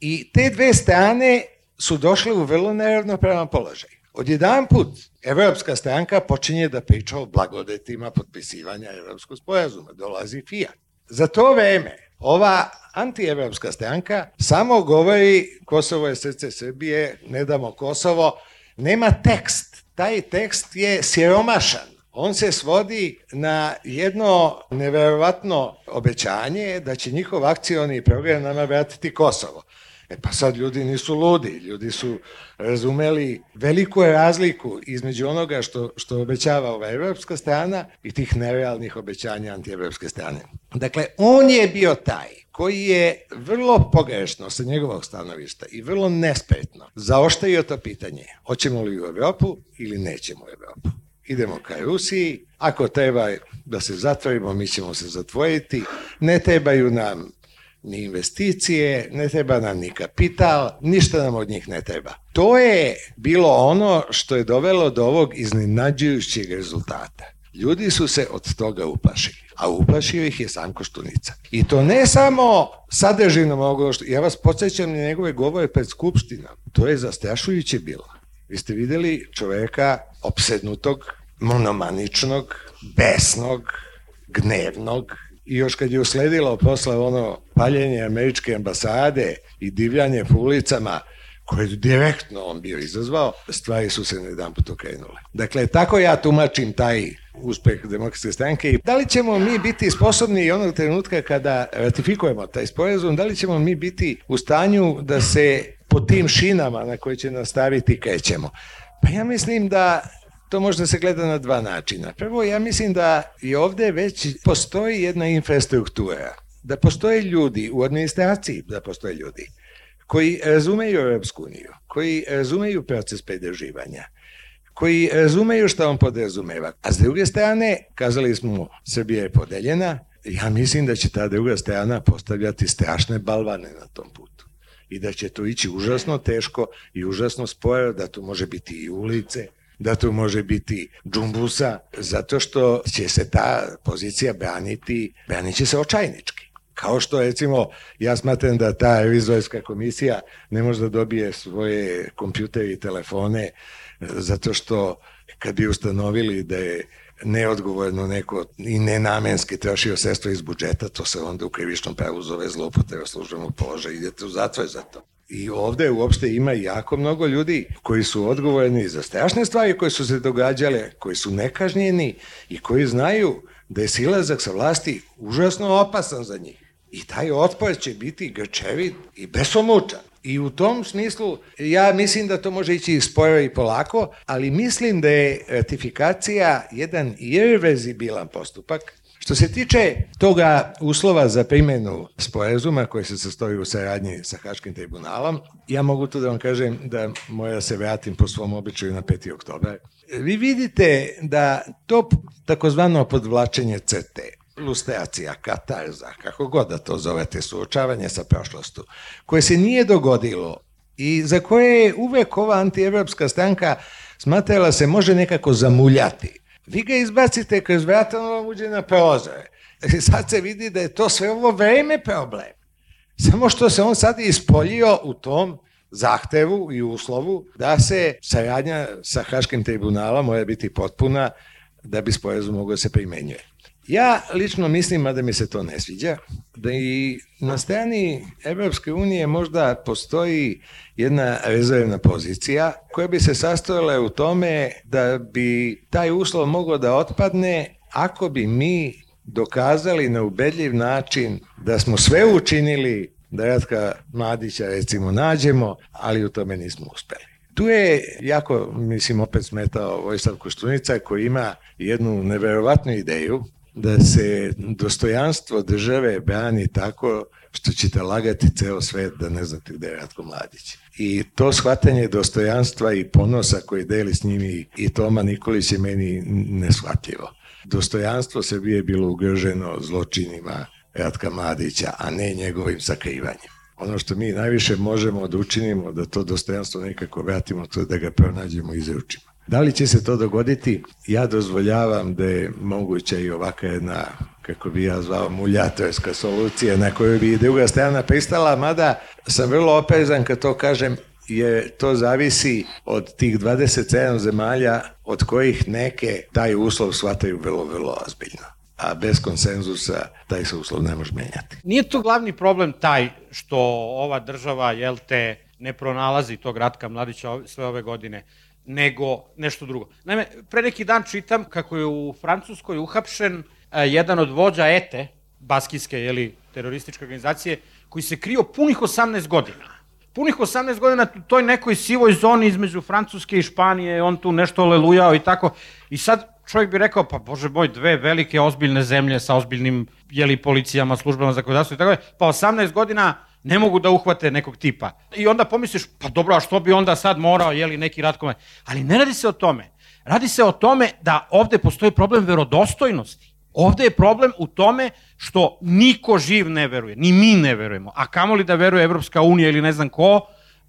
i te dve strane su došle u vrlo neravnopravan položaj. Odjedan put Evropska stranka počinje da priča o blagodetima potpisivanja Evropskog sporazuma, dolazi Fijat. Za to vreme ova antievropska stranka samo govori Kosovo je srce Srbije, ne damo Kosovo, nema tekst. Taj tekst je siromašan. On se svodi na jedno neverovatno obećanje da će njihov akcioni program nama vratiti Kosovo. E pa sad ljudi nisu ludi, ljudi su razumeli veliku razliku između onoga što, što obećava ova evropska strana i tih nerealnih obećanja antievropske strane. Dakle, on je bio taj koji je vrlo pogrešno sa njegovog stanovišta i vrlo nespretno zaoštrio to pitanje, hoćemo li u Evropu ili nećemo u Evropu. Idemo ka Rusiji, ako treba da se zatvorimo, mi ćemo se zatvoriti, ne trebaju nam ni investicije, ne treba nam ni kapital, ništa nam od njih ne treba. To je bilo ono što je dovelo do ovog iznenađujućeg rezultata. Ljudi su se od toga uplašili, a uplašio ih je sam Koštunica. I to ne samo sadržinom ovoga, što ja vas podsjećam na njegove govore pred Skupštinom, to je zastrašujuće bilo. Vi ste videli čoveka opsednutog, monomaničnog, besnog, gnevnog, i još kad je usledilo posle ono paljenje američke ambasade i divljanje po ulicama, koje je direktno on bio izazvao, stvari su se na jedan put okrenule. Dakle, tako ja tumačim taj uspeh Demokratske stranke. I da li ćemo mi biti sposobni onog trenutka kada ratifikujemo taj sporazum, da li ćemo mi biti u stanju da se po tim šinama na koje će nastaviti krećemo? Pa ja mislim da to može da se gleda na dva načina. Prvo, ja mislim da i ovde već postoji jedna infrastruktura, da postoje ljudi u administraciji, da postoje ljudi koji razumeju Europsku uniju, koji razumeju proces pridruživanja, koji razumeju šta on podrazumeva. A s druge strane, kazali smo, Srbija je podeljena, ja mislim da će ta druga strana postavljati strašne balvane na tom putu. I da će to ići užasno teško i užasno sporo, da to može biti i ulice, da to može biti džumbusa, zato što će se ta pozicija braniti, branit će se očajnički. Kao što, recimo, ja smatram da ta revizorska komisija ne može da dobije svoje kompjutere i telefone, zato što kad bi ustanovili da je neodgovorno neko i nenamenski trošio sredstva iz budžeta, to se onda u krivičnom pravu zove zloupotreba službenog položaja, idete u zatvor za to. I ovde uopšte ima jako mnogo ljudi koji su odgovorni za strašne stvari koje su se događale, koji su nekažnjeni i koji znaju da je silazak sa vlasti užasno opasan za njih. I taj otpor će biti grčevit i besomučan. I u tom smislu ja mislim da to može ići sporo i polako, ali mislim da je ratifikacija jedan irreverzibilan postupak. Što se tiče toga uslova za primjenu sporazuma koji se sastoji u saradnji sa Haškim tribunalom, ja mogu tu da vam kažem da moja se vratim po svom običaju na peti oktobar. Vi vidite da to takozvano podvlačenje crte, lustracija, katarza, kako god da to zovete, suočavanje sa prošlostu, koje se nije dogodilo i za koje je uvek ova antievropska stranka smatrala se može nekako zamuljati. Vi ga izbacite kroz vrata, on vam uđe na prozore. Sad se vidi da je to sve ovo vreme problem. Samo što se on sad ispoljio u tom zahtevu i uslovu da se saradnja sa Haškim tribunalom mora biti potpuna da bi sporazum mogao se primenjuje. Ja lično mislim, a da mi se to ne sviđa, da i na strani Evropske unije možda postoji jedna rezervna pozicija koja bi se sastojala u tome da bi taj uslov mogao da otpadne ako bi mi dokazali na ubedljiv način da smo sve učinili da Ratka Mladića recimo nađemo, ali u tome nismo uspeli. Tu je jako, mislim, opet smetao Vojislav Koštunica koji ima jednu neverovatnu ideju da se dostojanstvo države brani tako što ćete lagati ceo svet da ne znate gde je Ratko Mladić. I to shvatanje dostojanstva i ponosa koji deli s njimi i Toma Nikolić je meni neshvatljivo. Dostojanstvo Srbije je bilo ugroženo zločinima Ratka Mladića, a ne njegovim sakrivanjem. Ono što mi najviše možemo da učinimo da to dostojanstvo nekako vratimo, to je da ga pronađemo i izručimo. Da li će se to dogoditi? Ja dozvoljavam da je moguća i ovaka jedna, kako bi ja zvao, muljatorska solucija na koju bi i druga strana pristala, mada sam vrlo oprezan kad to kažem, jer to zavisi od tih dvadeset sedam zemalja od kojih neke taj uslov shvataju vrlo, vrlo ozbiljno. A bez konsenzusa taj se uslov ne može menjati. Nije to glavni problem taj što ova država, jel te, ne pronalazi tog Ratka Mladića sve ove godine. nego nešto drugo. Naime, pre neki dan čitam kako je u Francuskoj uhapšen jedan od vođa E T E, baskijske, jeli, terorističke organizacije, koji se krio punih osamnaest godina. Punih osamnaest godina u toj nekoj sivoj zoni između Francuske i Španije, on tu nešto lelujao i tako. I sad čovjek bi rekao, pa bože moj, dve velike ozbiljne zemlje sa ozbiljnim, jeli, policijama, službama za zakonodavstvo i tako, pa osamnaest godina ne mogu da uhvate nekog tipa. I onda pomisliš, pa dobro, a što bi onda sad morao, jeli, neki Ratko Mladić? Ali ne radi se o tome. Radi se o tome da ovde postoji problem verodostojnosti. Ovde je problem u tome što niko živ ne veruje, ni mi ne verujemo, a kamoli da veruje Evropska unija ili ne znam ko,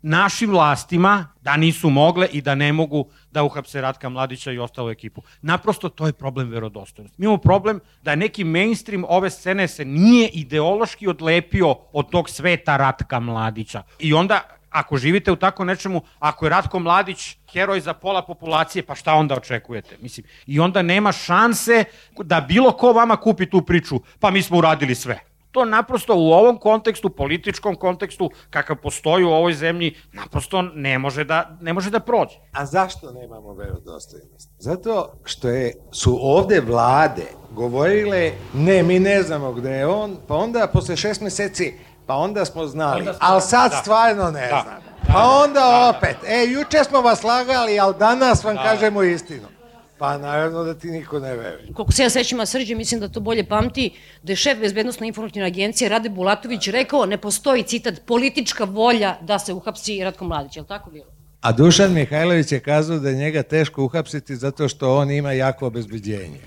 našim vlastima da nisu mogle i da ne mogu da uhapse Ratka Mladića i ostalu ekipu. Naprosto to je problem verodostojnosti. Mi imamo problem da neki mainstream ove scene se nije ideološki odlepio od tog sveta Ratka Mladića. I onda, ako živite u tako nečemu, ako je Ratko Mladić heroj za pola populacije, pa šta onda očekujete? Mislim, i onda nema šanse da bilo ko vama kupi tu priču, pa mi smo uradili sve. To naprosto u ovom kontekstu, političkom kontekstu, kakav postoji u ovoj zemlji, naprosto ne može da, ne može da prođe. A zašto nemamo verodostojnost? Zato što je, su ovde vlade govorile, ne, mi ne znamo gde je on, pa onda posle šest meseci, pa onda smo znali, ali sad stvarno ne znamo. Pa onda opet, e, juče smo vas lagali, ali danas vam kažemo istinu. Pa naravno da ti niko ne veruje. Koliko se ja sećam, a Srđe, mislim da to bolje pamti, da je šef bezbednosno informativne agencije Rade Bulatović rekao, ne postoji, citat, politička volja da se uhapsi Ratko Mladić, je li tako bilo? A Dušan Mihajlović je kazao da je njega teško uhapsiti zato što on ima jako obezbeđenje.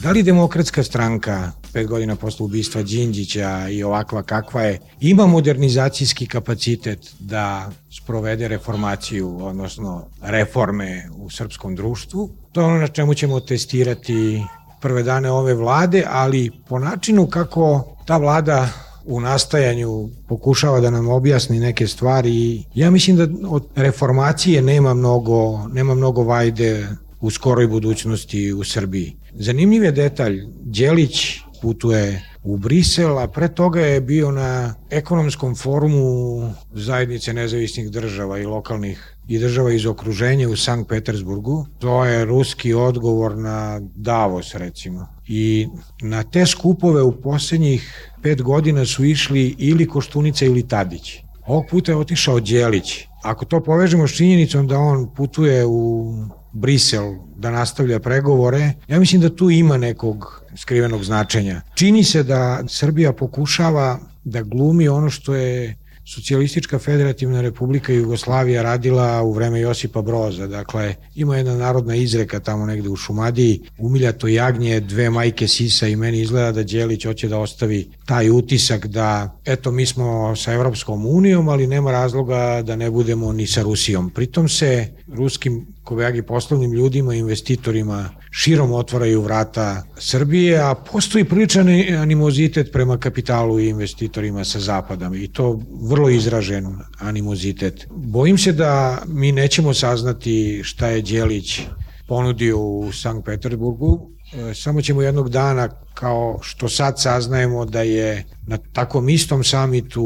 Da li Demokratska stranka, pet godina posle ubistva Đinđića i ovakva kakva je, ima modernizacijski kapacitet da sprovede reformaciju, odnosno reforme u srpskom društvu? To je ono na čemu ćemo testirati prve dane ove vlade, ali po načinu kako ta vlada u nastajanju pokušava da nam objasni neke stvari. Ja mislim da od reformacije nema mnogo, nema mnogo vajde u skoroj budućnosti u Srbiji. Zanimljiv je detalj, Đelić putuje u Brisel, a pre toga je bio na ekonomskom forumu zajednice nezavisnih država i lokalnih i država iz okruženja u Sankt Petersburgu. To je ruski odgovor na Davos, recimo. I na te skupove u poslednjih pet godina su išli ili Koštunica ili Tadić. Ovog puta je otišao Đelić. Ako to povežemo s činjenicom da on putuje u Brisel da nastavlja pregovore, ja mislim da tu ima nekog skrivenog značenja. Čini se da Srbija pokušava da glumi ono što je Socijalistička federativna republika Jugoslavija radila u vreme Josipa Broza. Dakle, ima jedna narodna izreka tamo negde u Šumadiji, umiljato jagnje, dve majke sisa, i meni izgleda da Đelić hoće da ostavi taj utisak da, eto, mi smo sa Evropskom unijom, ali nema razloga da ne budemo ni sa Rusijom. Pritom se ruskim kobajagi poslovnim ljudima, investitorima širom otvaraju vrata Srbije, a postoji priličan animozitet prema kapitalu i investitorima sa zapada i to vrlo izražen animozitet. Bojim se da mi nećemo saznati šta je Đelić ponudio u Sankt Petersburgu, samo ćemo jednog dana, kao što sad saznajemo da je na takvom istom samitu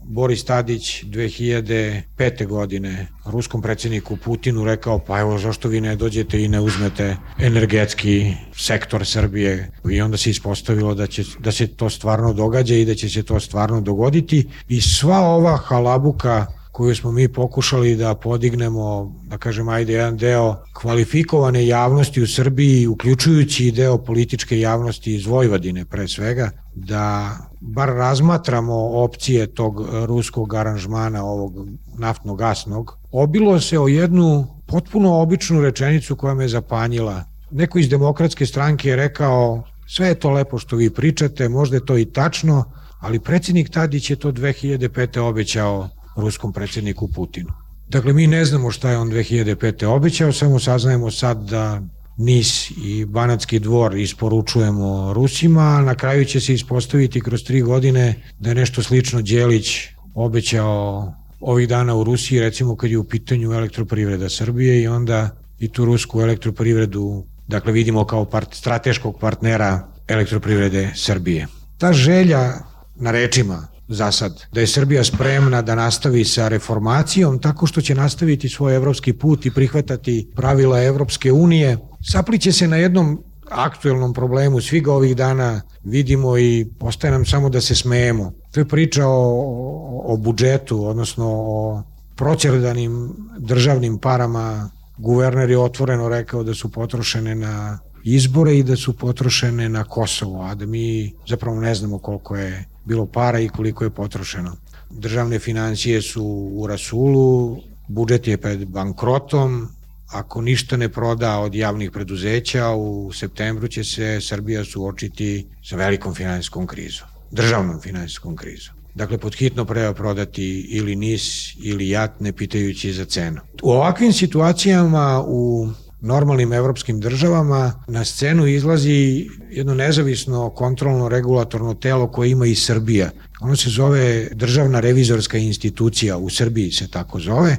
Boris Tadić dve hiljade pete. godine ruskom predsjedniku Putinu rekao, pa evo zašto vi ne dođete i ne uzmete energetski sektor Srbije, i onda se ispostavilo da, će, da se to stvarno događa i da će se to stvarno dogoditi, i sva ova halabuka koju smo mi pokušali da podignemo, da kažem, ajde, jedan deo kvalifikovane javnosti u Srbiji, uključujući i deo političke javnosti iz Vojvodine pre svega, da bar razmatramo opcije tog ruskog aranžmana, ovog naftno-gasnog, obilo se o jednu potpuno običnu rečenicu koja me zapanjila. Neko iz Demokratske stranke je rekao, sve je to lepo što vi pričate, možda je to i tačno, ali predsjednik Tadić je to dve hiljade pete. obećao ruskom predsjedniku Putinu. Dakle, mi ne znamo šta je on dve hiljade pete. obećao, samo saznajemo sad da Nis i Banatski dvor isporučujemo Rusima, a na kraju će se ispostaviti kroz tri godine da je nešto slično Đelić obećao ovih dana u Rusiji, recimo kad je u pitanju elektroprivreda Srbije, i onda i tu rusku elektroprivredu, dakle, vidimo kao part, strateškog partnera elektroprivrede Srbije. Ta želja na rečima za sad. Da je Srbija spremna da nastavi sa reformacijom tako što će nastaviti svoj evropski put i prihvatati pravila Evropske unije. Sapliće se na jednom aktuelnom problemu, svi ga ovih dana vidimo i ostaje nam samo da se smejemo. To je priča o, o budžetu, odnosno o proćerdanim državnim parama. Guverner je otvoreno rekao da su potrošene na izbore i da su potrošene na Kosovo, a da mi zapravo ne znamo koliko je bilo para i koliko je potrošeno. Državne financije su u rasulu, budžet je pred bankrotom, ako ništa ne proda od javnih preduzeća, u septembru će se Srbija suočiti sa velikom finansijskom krizom, državnom finansijskom krizom. Dakle, pod hitno treba prodati ili N I S ili J A T, ne pitajući za cenu. U ovakvim situacijama u normalnim evropskim državama na scenu izlazi jedno nezavisno kontrolno regulatorno telo koje ima i Srbija. Ono se zove Državna revizorska institucija, u Srbiji se tako zove,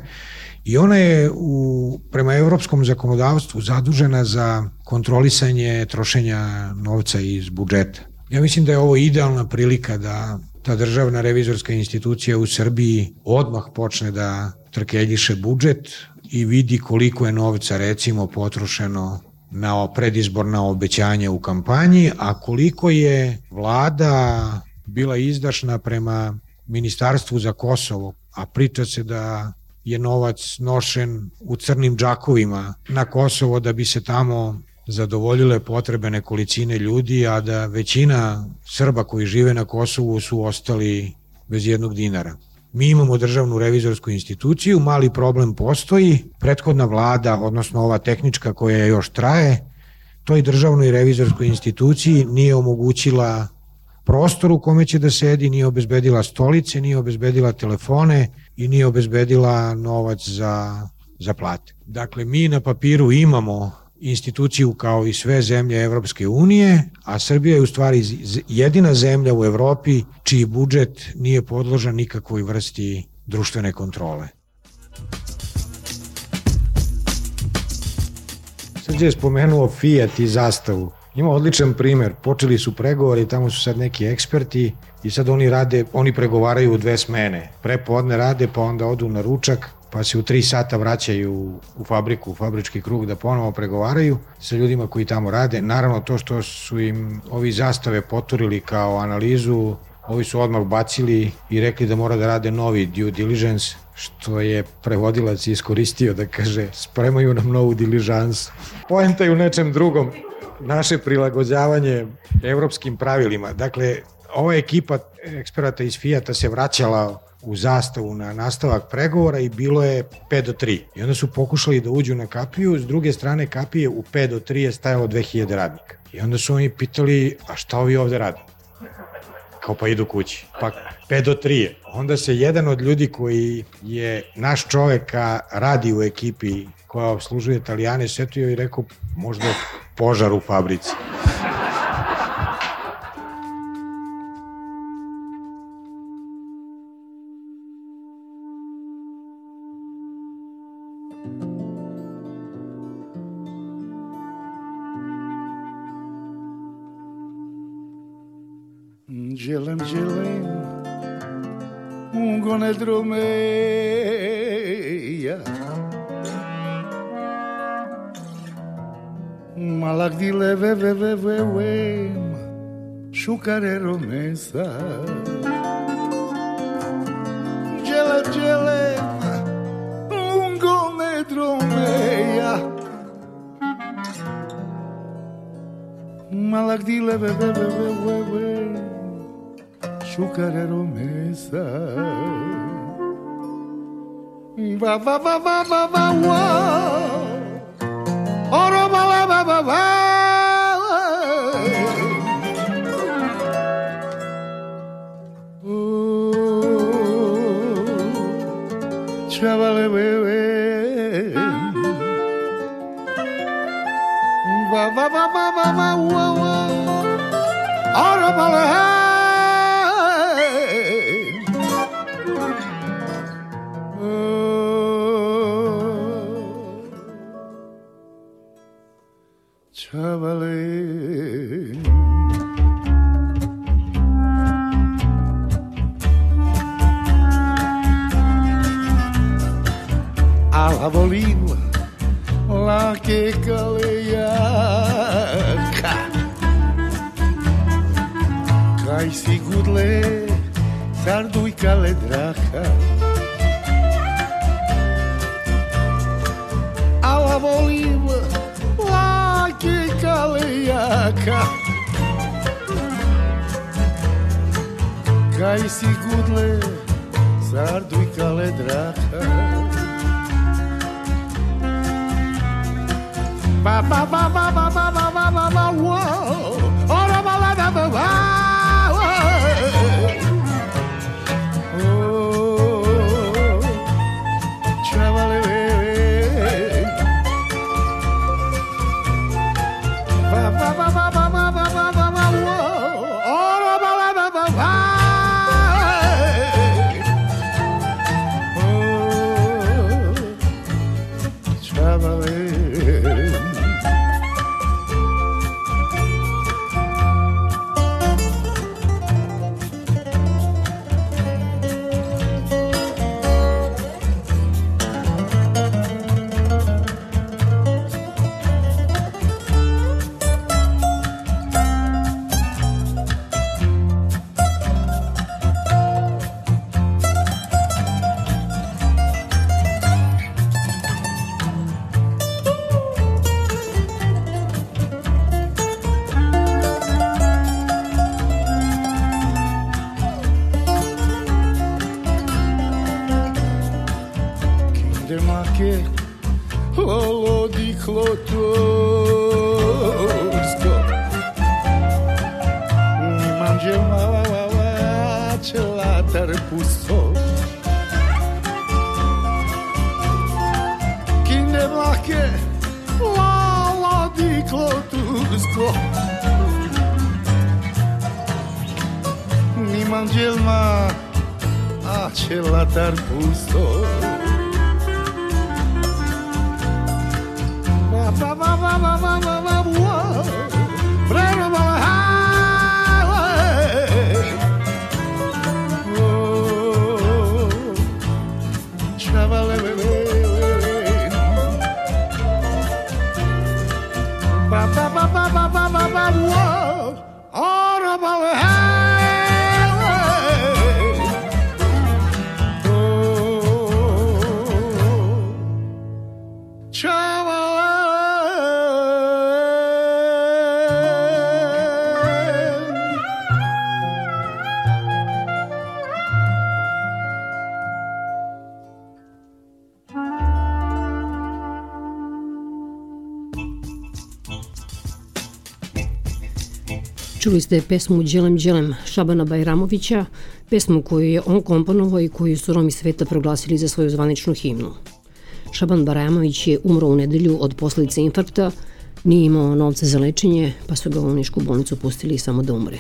i ona je u, prema evropskom zakonodavstvu zadužena za kontrolisanje trošenja novca iz budžeta. Ja mislim da je ovo idealna prilika da ta državna revizorska institucija u Srbiji odmah počne da trkeljiše budžet i vidi koliko je novca recimo potrošeno na predizborna obećanja u kampanji, a koliko je vlada bila izdašna prema Ministarstvu za Kosovo, a priča se da je novac nošen u crnim džakovima na Kosovo da bi se tamo zadovoljile potrebe nekolicine ljudi, a da većina Srba koji žive na Kosovu su ostali bez jednog dinara. Mi imamo državnu revizorsku instituciju, mali problem postoji, prethodna vlada, odnosno ova tehnička koja još traje, toj državnoj revizorskoj instituciji nije omogućila prostor u kome će da sedi, nije obezbedila stolice, nije obezbedila telefone i nije obezbedila novac za, za plate. Dakle, mi na papiru imamo instituciju kao i sve zemlje Evropske unije, a Srbija je u stvari jedina zemlja u Evropi čiji budžet nije podložan nikakvoj vrsti društvene kontrole. Srđe je spomenuo Fiat i Zastavu. Ima odličan primer, počeli su pregovori, tamo su sad neki eksperti i sad oni rade, oni pregovaraju u dve smene. Prepodne rade, pa onda odu na ručak, pa se u tri sata vraćaju u fabriku, u fabrički krug da ponovo pregovaraju sa ljudima koji tamo rade. Naravno, to što su im ovi Zastave poturili kao analizu, ovi su odmah bacili i rekli da mora da rade novi due diligence, što je prevodilac iskoristio da kaže spremaju nam novu diližansu. Poenta je u nečem drugom, naše prilagođavanje evropskim pravilima. Dakle, ova ekipa eksperata iz Fijata se vraćala u Zastavu na nastavak pregovora i bilo je pet do tri. I onda su pokušali da uđu na kapiju, s druge strane kapije u pet do tri je stajalo dve hiljade radnika. I onda su oni pitali, a šta ovi ovde rade? Kao pa idu kući. Pa pet do tri je. Onda se jedan od ljudi koji je naš čoveka radi u ekipi koja obslužuje Italijane setio i rekao možda požar u fabrici. Gelem, gelem, un gonedro meia Malak dile ve ve ve ve ve Šukarero mesa Gelem, gelem, un gonedro meia Malak dile ve ve ve ve ve ve Šukarero mesa Va va va va va va va Oro va la va va va Chavale bebe Va va va va va va va Oro va la a volim lake kalejaka. Kaj si gudle, sarduj kale draka. A volim lake kalejaka. Kaj si gudle, sarduj kale draka. Ba ba ba ba ba ba ba ba ba ba wow. Ora ba ba ba ba ba. Oh, chavale. Ba ba ba ba ba ba ba ba ba ba wow. Ora ba ba ba ba ba. Oh, chavale. Čuli ste pesmu Đelem Đelem Šabana Bajramovića, pesmu koju je on komponovao i koju su Romi sveta proglasili za svoju zvaničnu himnu. Šaban Bajramović je umro u nedelju od posljedice infarkta, nije imao novca za lečenje, pa su ga u nišku bolnicu pustili samo da umre.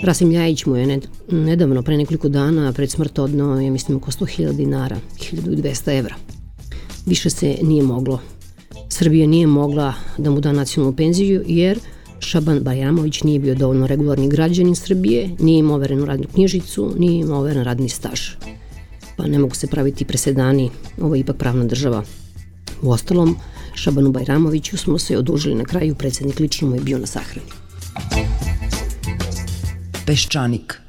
Rasim Ljajić mu je nedavno, pre nekoliko dana, pred smrt odneo, ja mislim, oko sto hiljada dinara, hiljadu dvesta evra. Više se nije moglo. Srbija nije mogla da mu da nacionalnu penziju, jer Šaban Bajramović nije bio dovoljno regularni građanin Srbije, nije imao overenu radnu knjižicu, nije imao overen radni staž. Pa ne mogu se praviti presedani, ovo je ipak pravna država. Uostalom, Šabanu Bajramoviću smo se odužili na kraju, predsjednik lično mu je bio na sahrani. Peščanik.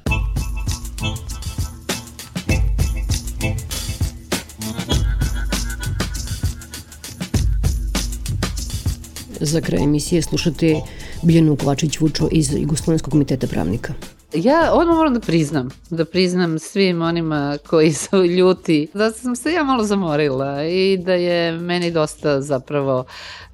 Za kraj emisije slušate Biljanu Kovačević-Vučo iz Jugoslovenskog komiteta pravnika. Ja odmah moram da priznam, da priznam svim onima koji su ljuti, da sam se ja malo zamorila i da je meni dosta zapravo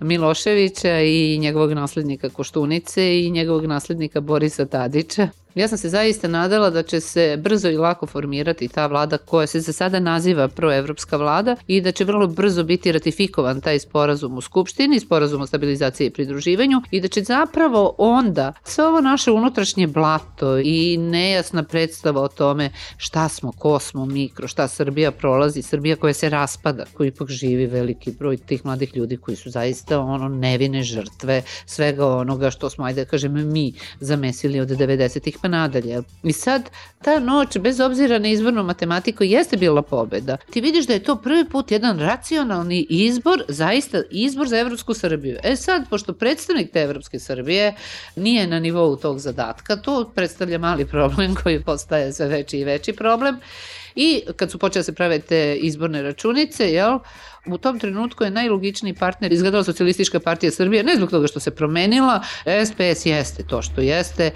Miloševića i njegovog naslednika Koštunice i njegovog naslednika Borisa Tadića. Ja sam se zaista nadala da će se brzo i lako formirati ta vlada koja se za sada naziva proevropska vlada i da će vrlo brzo biti ratifikovan taj sporazum u Skupštini, sporazum o stabilizaciji i pridruživanju, i da će zapravo onda sve ovo naše unutrašnje blato i nejasna predstava o tome šta smo, ko smo mi, kroz šta Srbija prolazi, Srbija koja se raspada, koji ipak živi veliki broj tih mladih ljudi koji su zaista ono nevine žrtve svega onoga što smo, ajde da kažem, mi zamesili od devedesetih pa nadalje. I sad ta noć, bez obzira na izbornu matematiku, jeste bila pobeda. Ti vidiš da je to prvi put jedan racionalni izbor, zaista izbor za Evropsku Srbiju. E sad, pošto predstavnik te Evropske Srbije nije na nivou tog zadatka, to predstavlja mali problem koji postaje sve veći i veći problem. I kad su počele se prave te izborne računice, jel, u tom trenutku je najlogičniji partner izgledala Socijalistička partija Srbije, ne zbog toga što se promenila, S P S jeste to što jeste.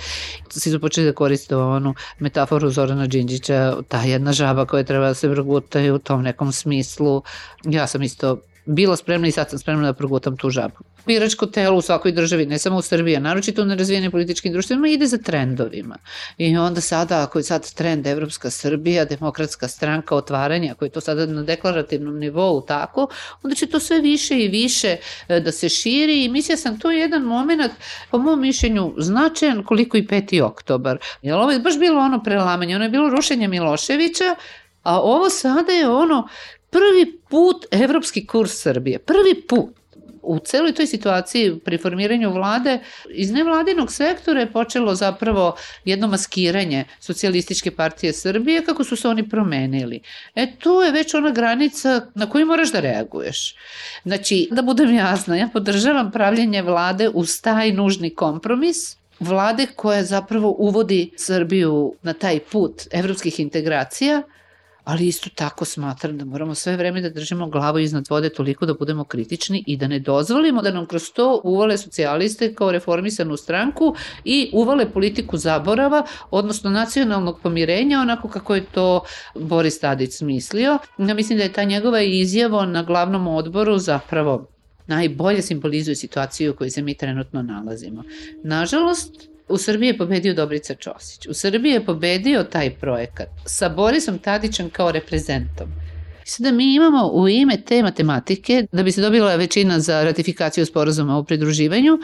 Svi su počeli da koriste onu metaforu Zorana Đinđića, ta jedna žaba koja treba da se progutaju u tom nekom smislu. Ja sam isto bila spremna i sad sam spremna da progutam tu žabu. Biračko telo u svakoj državi, ne samo u Srbiji, naročito u nerazvijenim političkim društvima, ide za trendovima. I onda sada, ako je sad trend Evropska Srbija, demokratska stranka, otvaranja, ako je to sada na deklarativnom nivou tako, onda će to sve više i više da se širi i mislila sam to je jedan moment, po mom mišljenju, značajan koliko i peti oktobar. Jer ovo je baš bilo ono prelamanje, ono je bilo rušenje Miloševića, a ovo sada je ono prvi put evropski kurs Srbije, prvi put. U celoj toj situaciji pri formiranju vlade iz nevladinog sektora je počelo zapravo jedno maskiranje Socijalističke partije Srbije kako su se oni promenili. E tu je već ona granica na koju moraš da reaguješ. Znači, da budem jasna, ja podržavam pravljenje vlade uz taj nužni kompromis, vlade koja zapravo uvodi Srbiju na taj put evropskih integracija, ali isto tako smatram da moramo sve vreme da držimo glavu iznad vode toliko da budemo kritični i da ne dozvolimo da nam kroz to uvale socijaliste kao reformisanu stranku i uvale politiku zaborava, odnosno nacionalnog pomirenja, onako kako je to Boris Tadić smislio. Ja mislim da je ta njegova izjava na glavnom odboru zapravo najbolje simbolizuje situaciju u kojoj se mi trenutno nalazimo. Nažalost, u Srbiji je pobedio Dobrica Ćosić. U Srbiji je pobedio taj projekat sa Borisom Tadićem kao reprezentom. Sada mi imamo u ime te matematike, da bi se dobila većina za ratifikaciju sporazuma o pridruživanju,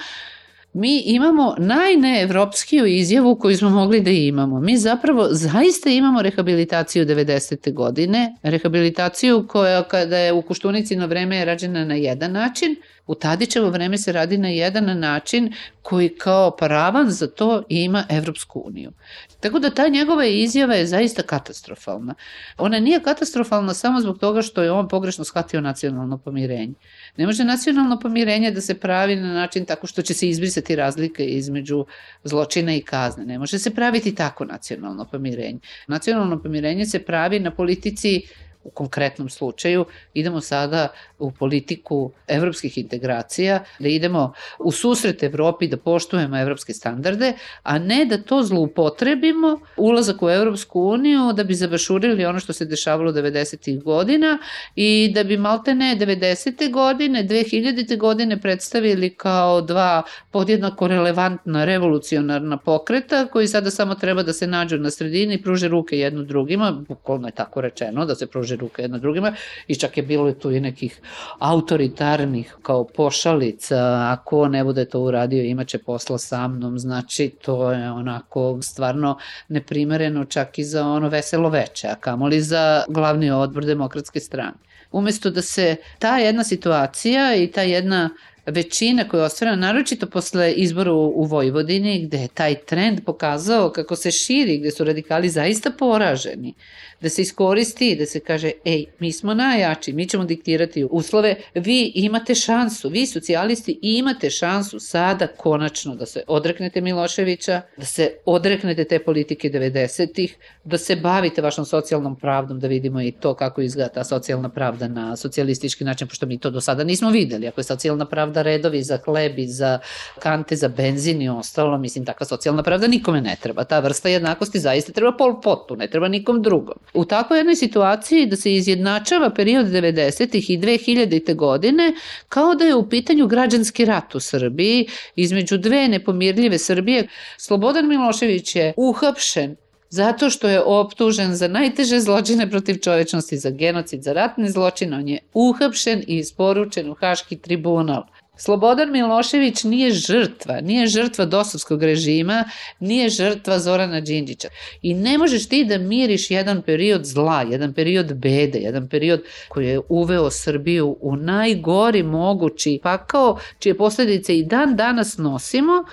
mi imamo najneevropskiju izjavu koju smo mogli da imamo. Mi zapravo zaista imamo rehabilitaciju devedesete godine, rehabilitaciju koja kada je u Koštunici na vreme je rađena na jedan način, u Tadićevo vreme se radi na jedan način koji kao paravan za to ima Evropsku uniju. Tako da ta njegova izjava je zaista katastrofalna. Ona nije katastrofalna samo zbog toga što je on pogrešno shvatio nacionalno pomirenje. Ne može nacionalno pomirenje da se pravi na način tako što će se izbrisati razlike između zločina i kazne. Ne može se praviti tako nacionalno pomirenje. Nacionalno pomirenje se pravi na politici. U konkretnom slučaju idemo sada u politiku evropskih integracija, da idemo u susret Evropi, da poštujemo evropske standarde, a ne da to zloupotrebimo ulazak u Evropsku uniju da bi zabašurili ono što se dešavalo devedesetih godina i da bi maltene devedesete godine, dve hiljadite godine predstavili kao dva podjednako relevantna revolucionarna pokreta koji sada samo treba da se nađu na sredini i pruže ruke jedno drugima, bukvalno je tako rečeno da se pruže ruke jedno drugima i čak je bilo tu i nekih autoritarnih kao pošalica, ako ne bude to uradio imaće posla sa mnom, znači to je onako stvarno neprimereno čak i za ono veselo veče, a kamoli za glavni odbor Demokratske strane. Umesto da se ta jedna situacija i ta jedna većina koja je ostvarena, naročito posle izbora u Vojvodini, gde je taj trend pokazao kako se širi, gde su radikali zaista poraženi, da se iskoristi, da se kaže, ej, mi smo najjači, mi ćemo diktirati uslove, vi imate šansu, vi socijalisti imate šansu sada konačno da se odreknete Miloševića, da se odreknete te politike devedesetih, da se bavite vašom socijalnom pravdom, da vidimo i to kako izgleda ta socijalna pravda na socijalistički način, pošto mi to do sada nismo videli. Ako je socijalna pravda redovi za hleb i za kante za benzin i ostalo, mislim, takva socijalna pravda nikome ne treba. Ta vrsta jednakosti zaista treba Pol Potu, ne treba nikom drugom. U takvoj jednoj situaciji da se izjednačava period devedesetih i dve hiljadite godine kao da je u pitanju građanski rat u Srbiji između dve nepomirljive Srbije. Slobodan Milošević je uhapšen zato što je optužen za najteže zločine protiv čovečnosti, za genocid, za ratne zločine. On je uhapšen i isporučen u Haški tribunal. Slobodan Milošević nije žrtva, nije žrtva dosovskog režima, nije žrtva Zorana Đinđića. I ne možeš ti da miriš jedan period zla, jedan period bede, jedan period koji je uveo Srbiju u najgori mogući pakao, čije posledice i dan danas nosimo,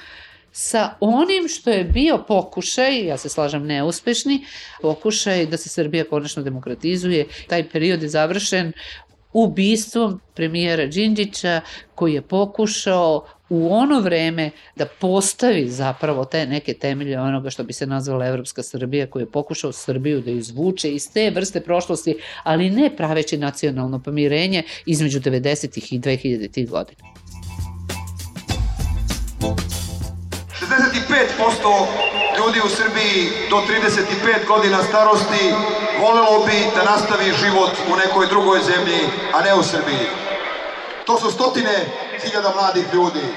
sa onim što je bio pokušaj, ja se slažem neuspešni, pokušaj da se Srbija konačno demokratizuje. Taj period je završen ubistvom premijera Đinđića koji je pokušao u ono vreme da postavi zapravo te neke temelje onoga što bi se nazvala Evropska Srbija, koji je pokušao Srbiju da izvuče iz te vrste prošlosti, ali ne praveći nacionalno pomirenje između devedesetih i dvehiljaditih godina. šezdeset pet posto ljudi u Srbiji do trideset pet godina starosti volelo bi da nastavi život u nekoj drugoj zemlji, a ne u Srbiji. To su stotine hiljada mladih ljudi.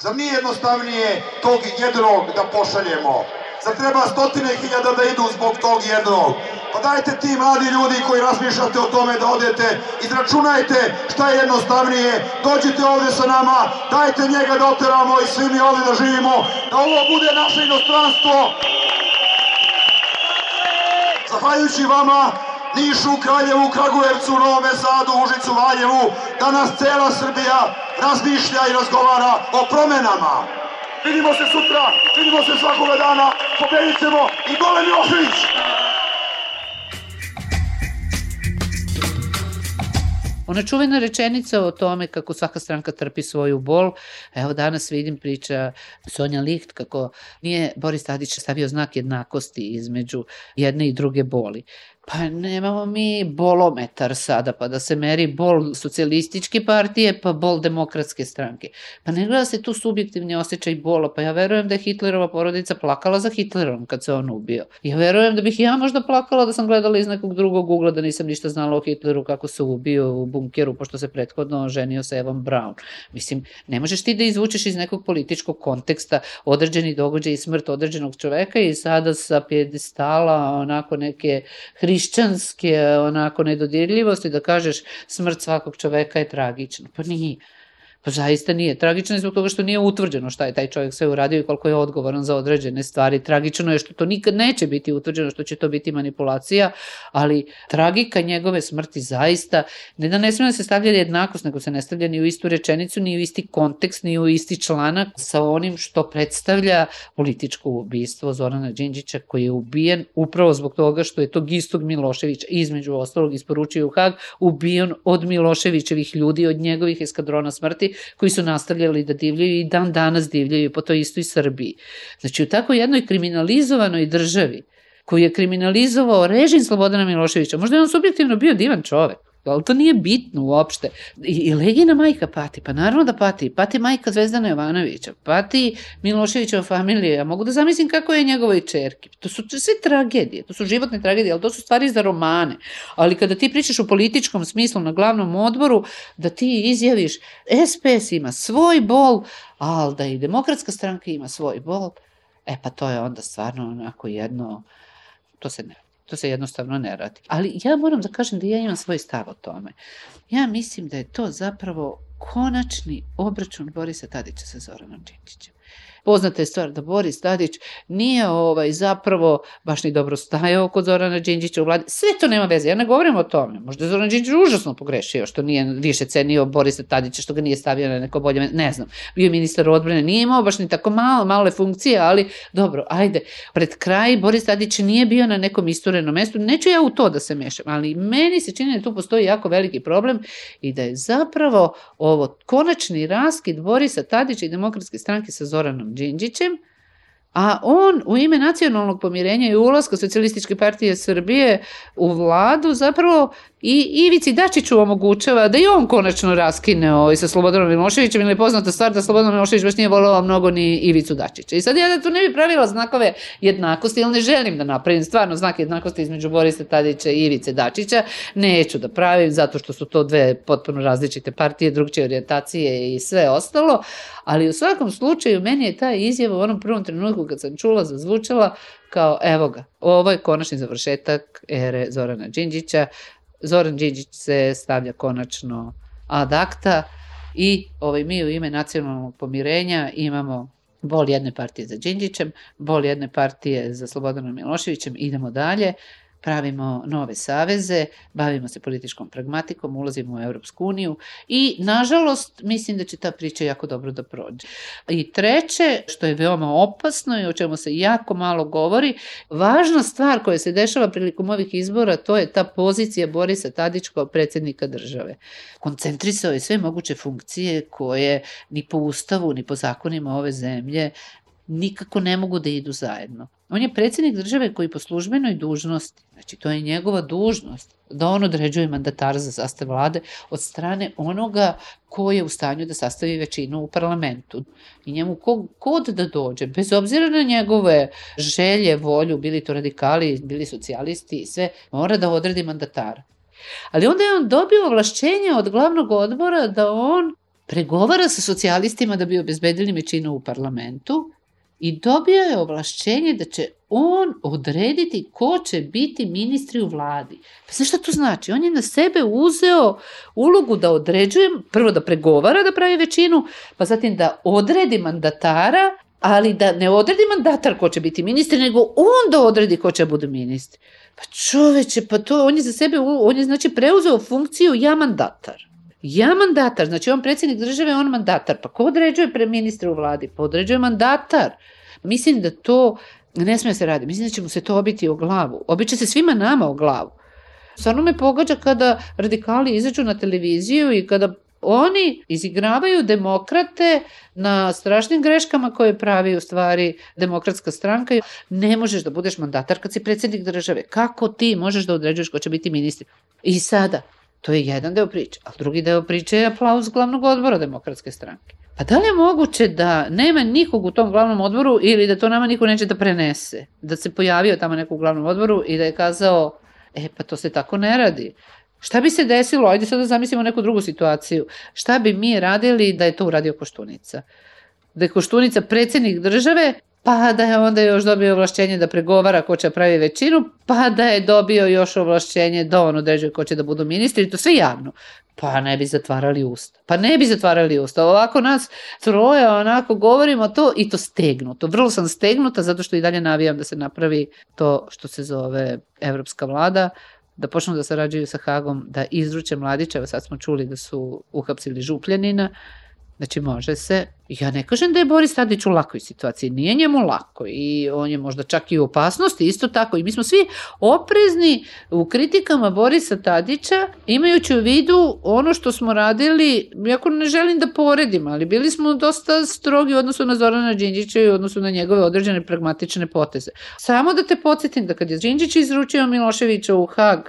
Zar nije jednostavnije tog jednog da pošaljemo? Zar treba stotine hiljada da idu zbog tog jednog? Pa dajte ti mladi ljudi koji razmišljate o tome da odete, izračunajte šta je jednostavnije, dođite ovde sa nama, dajte njega da oteramo i svi mi ovde da živimo, da ovo bude naše inostranstvo. Zahvaljujući vama, Nišu, Kraljevu, Kragujevcu, Novome Sadu, Užicu, Valjevu, danas cela Srbija razmišlja i razgovara o promenama. Vidimo se sutra, vidimo se svakoga dana, pobedit ćemo i dole Milošević! Ona čuvena rečenica o tome kako svaka stranka trpi svoju bol, evo danas vidim priča Sonja Licht kako nije Boris Tadić stavio znak jednakosti između jedne i druge boli. Pa nemamo mi bolometar sada, pa da se meri bol socijalističke partije, pa bol demokratske stranke. Pa ne gleda se tu subjektivni osjećaj bola, pa ja verujem da je Hitlerova porodica plakala za Hitlerom kad se on ubio. Ja verujem da bih ja možda plakala da sam gledala iz nekog drugog ugla, da nisam ništa znala o Hitleru kako se ubio u bunkeru, pošto se prethodno ženio sa Evom Braun. Mislim, ne možeš ti da izvučeš iz nekog političkog konteksta određeni događaj i smrt određenog čoveka i sada sa pjedestala onako neke hrišćanske onako nedodirljivosti da kažeš smrt svakog čoveka je tragična. Pa nije. Pa zaista nije. Tragično je zbog toga što nije utvrđeno šta je taj čovjek sve uradio i koliko je odgovoran za određene stvari. Tragično je što to nikad neće biti utvrđeno, što će to biti manipulacija, ali tragika njegove smrti zaista, ne da ne smije da se stavlja jednakost, nego se ne stavlja ni u istu rečenicu, ni u isti kontekst, ni u isti članak sa onim što predstavlja političko ubistvo Zorana Đinđića, koji je ubijen upravo zbog toga što je tog istog Miloševića između ostalog isporučio u Hag, ubijen od Miloševićevih ljudi, od njegovih eskadrona smrti, koji su nastavljali da divljaju i dan danas divljaju po toj istoj Srbiji. Znači, u tako jednoj kriminalizovanoj državi, koji je kriminalizovao režim Slobodana Miloševića, možda je on subjektivno bio divan čovek, ali to nije bitno uopšte. I, i Legina majka pati, pa naravno da pati, pati majka Zvezdana Jovanovića, pati Miloševićeva familija, ja mogu da zamislim kako je njegovoj čerki. To su sve tragedije, to su životne tragedije, ali to su stvari za romane. Ali kada ti pričaš u političkom smislu na glavnom odboru, da ti izjaviš S P S ima svoj bol, ali da i Demokratska stranka ima svoj bol, e pa to je onda stvarno onako jedno, to se ne To se jednostavno ne radi. Ali ja moram da kažem da ja imam svoj stav o tome. Ja mislim da je to zapravo konačni obračun Borisa Tadića sa Zoranom Đinđićem. Poznata je stvar da Boris Tadić nije ovaj zapravo baš ni dobro stajao kod Zorana Đinđića u vladi. Sve to nema veze, ja ne govorim o tome. Možda je Zoran Đinđić užasno pogrešio što nije više cenio Borisa Tadića, što ga nije stavio na neko bolje, ne znam. Bio ministar odbrane, nije imao baš ni tako malo, male funkcije, ali dobro, ajde. Pred kraj Boris Tadić nije bio na nekom isturenom mestu, neću ja u to da se mešam, ali meni se čini da tu postoji jako veliki problem i da je zapravo ovo konačni raskid Borisa Tadića i Demokratske stranke sa Zoranom Đinđićem, a on u ime nacionalnog pomirenja i ulaska Socijalističke partije Srbije u vladu zapravo i Ivici Dačiću omogućava da i on konačno raskine ovaj, sa Slobodanom Miloševićem, ili je poznata stvar da Slobodan Milošević baš nije voleo mnogo ni Ivicu Dačića. I sad ja da tu ne bi pravila znakove jednakosti, ili ne želim da napravim stvarno znak jednakosti između Borisa Tadića i Ivice Dačića, neću da pravim zato što su to dve potpuno različite partije, drugčije orijentacije i sve ostalo, ali u svakom slučaju meni je ta izjava u onom prvom trenutku kad sam čula, zazvučala kao evo ga, ovo je konačni završetak ere Zorana Đinđića. Zoran Đinđić se stavlja konačno ad acta i ovaj, mi u ime nacionalnog pomirenja imamo bol jedne partije za Đinđićem, bol jedne partije za Slobodanom Miloševićem, idemo dalje. pravimo nove saveze, bavimo se političkom pragmatikom, ulazimo u Evropsku uniju i, nažalost, mislim da će ta priča jako dobro da prođe. I treće, što je veoma opasno i o čemu se jako malo govori, važna stvar koja se dešava prilikom ovih izbora, to je ta pozicija Borisa Tadića kao predsjednika države. Koncentrisao je sve moguće funkcije koje ni po ustavu, ni po zakonima ove zemlje nikako ne mogu da idu zajedno. On je predsjednik države koji po službenoj dužnosti, znači to je njegova dužnost, da on određuje mandatara za sastav vlade od strane onoga ko je u stanju da sastavi većinu u parlamentu. I njemu kod da dođe, bez obzira na njegove želje, volju, bili to radikali, bili socijalisti i sve, mora da odredi mandatara. Ali onda je on dobio ovlašćenje od glavnog odbora da on pregovara sa socijalistima da bi obezbedili većinu u parlamentu i dobio je ovlašćenje da će on odrediti ko će biti ministri u vladi. Pa znaš šta to znači? On je na sebe uzeo ulogu da određuje, prvo da pregovara da pravi većinu, pa zatim da odredi mandatara, ali da ne odredi mandatar ko će biti ministri, nego on da odredi ko će bude ministri. Pa čoveče, pa to, on je za sebe, on je znači preuzeo funkciju ja mandatar. Ja mandatar, znači on predsjednik države, on mandatar. Pa ko određuje pre ministra u vladi? Pa određuje mandatar. Mislim da to ne smije se raditi. Mislim da će mu se to obiti o glavu. Obiće se svima nama o glavu. Stvarno me pogađa kada radikali izađu na televiziju i kada oni izigravaju demokrate na strašnim greškama koje pravi u stvari demokratska stranka. Ne možeš da budeš mandatar kad si predsjednik države. Kako ti možeš da određuješ ko će biti ministri? I sada, to je jedan deo priče, a drugi deo priče je aplauz glavnog odbora demokratske stranke. Pa da li je moguće da nema nikog u tom glavnom odboru ili da to nama niko neće da prenese? Da se pojavio tamo neko u glavnom odboru i da je kazao, e pa to se tako ne radi. Šta bi se desilo, ajde sad da zamislimo neku drugu situaciju, šta bi mi radili da je to uradio Koštunica? Da je Koštunica predsjednik države, pa da je onda još dobio ovlašćenje da pregovara ko će pravi većinu, pa da je dobio još ovlašćenje da on određuje ko će da budu ministri, to sve javno. Pa ne bi zatvarali usta. Pa ne bi zatvarali usta. Ovako nas troje, onako govorimo to i to stegnuto. Vrlo sam stegnuta zato što i dalje navijam da se napravi to što se zove Evropska vlada, da počnu da sarađuju sa Hagom, da izruče Mladića, evo sad smo čuli da su uhapsili Župljanina, znači može se. Ja ne kažem da je Boris Tadić u lakoj situaciji, nije njemu lako i on je možda čak i u opasnosti, isto tako. I mi smo svi oprezni u kritikama Borisa Tadića, imajući u vidu ono što smo radili, iako ne želim da poredim, ali bili smo dosta strogi u odnosu na Zorana Đinđića i u odnosu na njegove određene pragmatične poteze. Samo da te podsjetim da kad je Đinđić izručio Miloševića u Hag,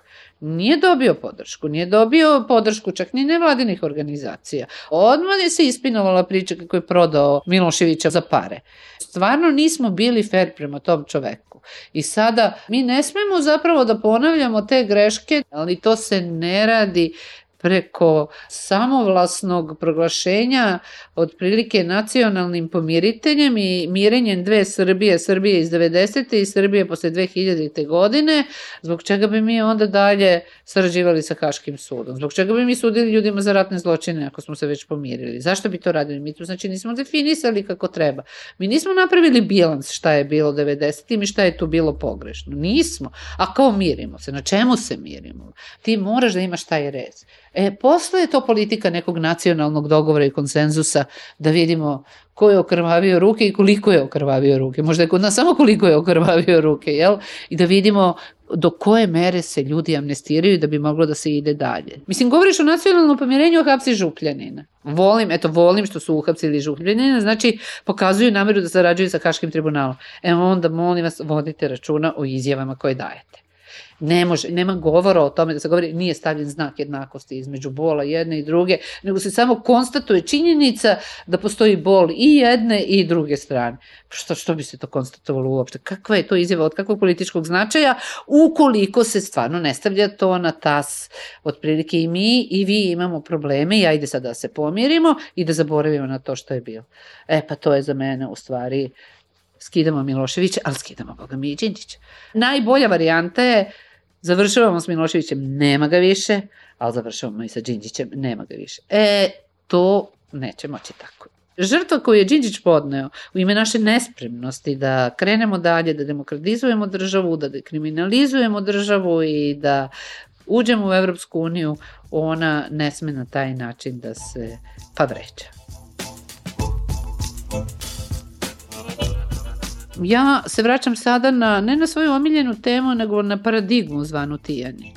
nije dobio podršku, nije dobio podršku čak ni nevladinih organizacija. Odmah je se ispinovala priča kako je prodao Miloševića za pare. Stvarno nismo bili fair prema tom čoveku. I sada mi ne smemo zapravo da ponavljamo te greške, ali to se ne radi preko samovlasnog proglašenja otprilike nacionalnim pomiriteljem i mirenjem dve Srbije, Srbije iz devedesete i Srbije posle dve hiljadite godine, zbog čega bi mi onda dalje sarađivali sa Haškim sudom, zbog čega bi mi sudili ljudima za ratne zločine ako smo se već pomirili, zašto bi to radili? Mi to znači nismo definisali kako treba, mi nismo napravili bilans šta je bilo devedesetim i šta je tu bilo pogrešno, nismo, a kao mirimo se, na čemu se mirimo? Ti moraš da imaš taj rez. E, posle je to politika nekog nacionalnog dogovora i konsenzusa da vidimo ko je okrvavio ruke i koliko je okrvavio ruke. Možda je kod nas samo koliko je okrvavio ruke, jel? I da vidimo do koje mere se ljudi amnestiraju da bi moglo da se ide dalje. Mislim, govoriš o nacionalnom pomirenju, hapsi Župljanina. Volim, eto, volim što su uhapsili Župljanina, znači pokazuju nameru da sarađuju sa Haškim tribunalom. Evo onda, molim vas, vodite računa o izjavama koje dajete. Ne može, nema govora o tome da se govori, nije stavljen znak jednakosti između bola jedne i druge, nego se samo konstatuje činjenica da postoji bol i jedne i druge strane. Što, što bi se to konstatovalo uopšte? Kakva je to izjava od kakvog političkog značaja ukoliko se stvarno ne stavlja to na tas? Otprilike i mi i vi imamo probleme i ajde sad da se pomirimo i da zaboravimo na to što je bilo. E pa to je za mene u stvari skidamo Miloševića, ali skidamo Boga mi i Đinđića. Najbolja varijanta je završavamo s Miloševićem, nema ga više, ali završavamo i sa Đinđićem, nema ga više. E, to neće moći tako. Žrtva koju je Đinđić podneo u ime naše nespremnosti da krenemo dalje, da demokratizujemo državu, da dekriminalizujemo državu i da uđemo u Evropsku uniju, ona ne sme na taj način da se pa vređa. Ja se vraćam sada na, ne na svoju omiljenu temu, nego na paradigmu zvanu Tijanić.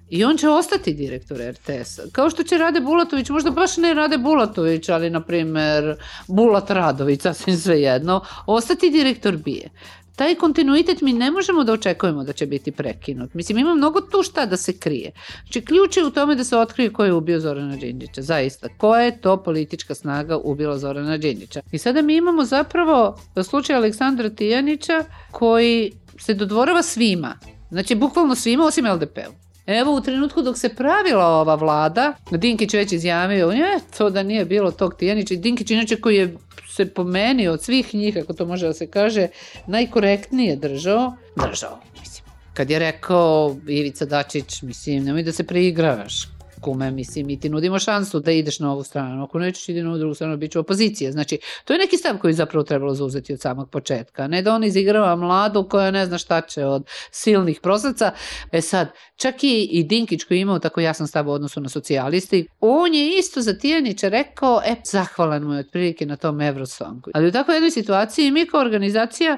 I on će ostati direktor er te esa. Kao što će Rade Bulatović, možda baš ne Rade Bulatović, ali na primer Bulat Radović, sasvim svejedno, ostati direktor B I A. Taj kontinuitet mi ne možemo da očekujemo da će biti prekinut. Mislim, ima mnogo tu šta da se krije. Znači, ključ je u tome da se otkrije ko je ubio Zorana Đinđića. Zaista, koja je to politička snaga ubila Zorana Đinđića. I sada mi imamo zapravo slučaj Aleksandra Tijanića koji se dodvorava svima. Znači, bukvalno svima osim el de pe-u. Evo, u trenutku dok se pravila ova vlada, Dinkić već izjavio, je, to da nije bilo tog Tijanića. I Dinkić, inače, koji je se po meni od svih njih, ako to može da se kaže, najkorektnije držao, držao, mislim. Kad je rekao Ivica Dačić, mislim, nemoj da se preigravaš, kume, mislim, mi ti nudimo šansu da ideš na ovu stranu, ako nećeš idi na ovu drugu stranu, bit će opozicija. Znači, to je neki stav koji zapravo trebalo zauzeti od samog početka, ne da on izigrava mladu koja ne zna šta će od silnih prosaca. E sad, čak i, i Dinkić koji je imao tako jasan stav u odnosu na socijalisti, on je isto za Tijanića rekao, e, zahvalan mu je otprilike na tom Eurosongu. Ali u takvoj jednoj situaciji mi kao organizacija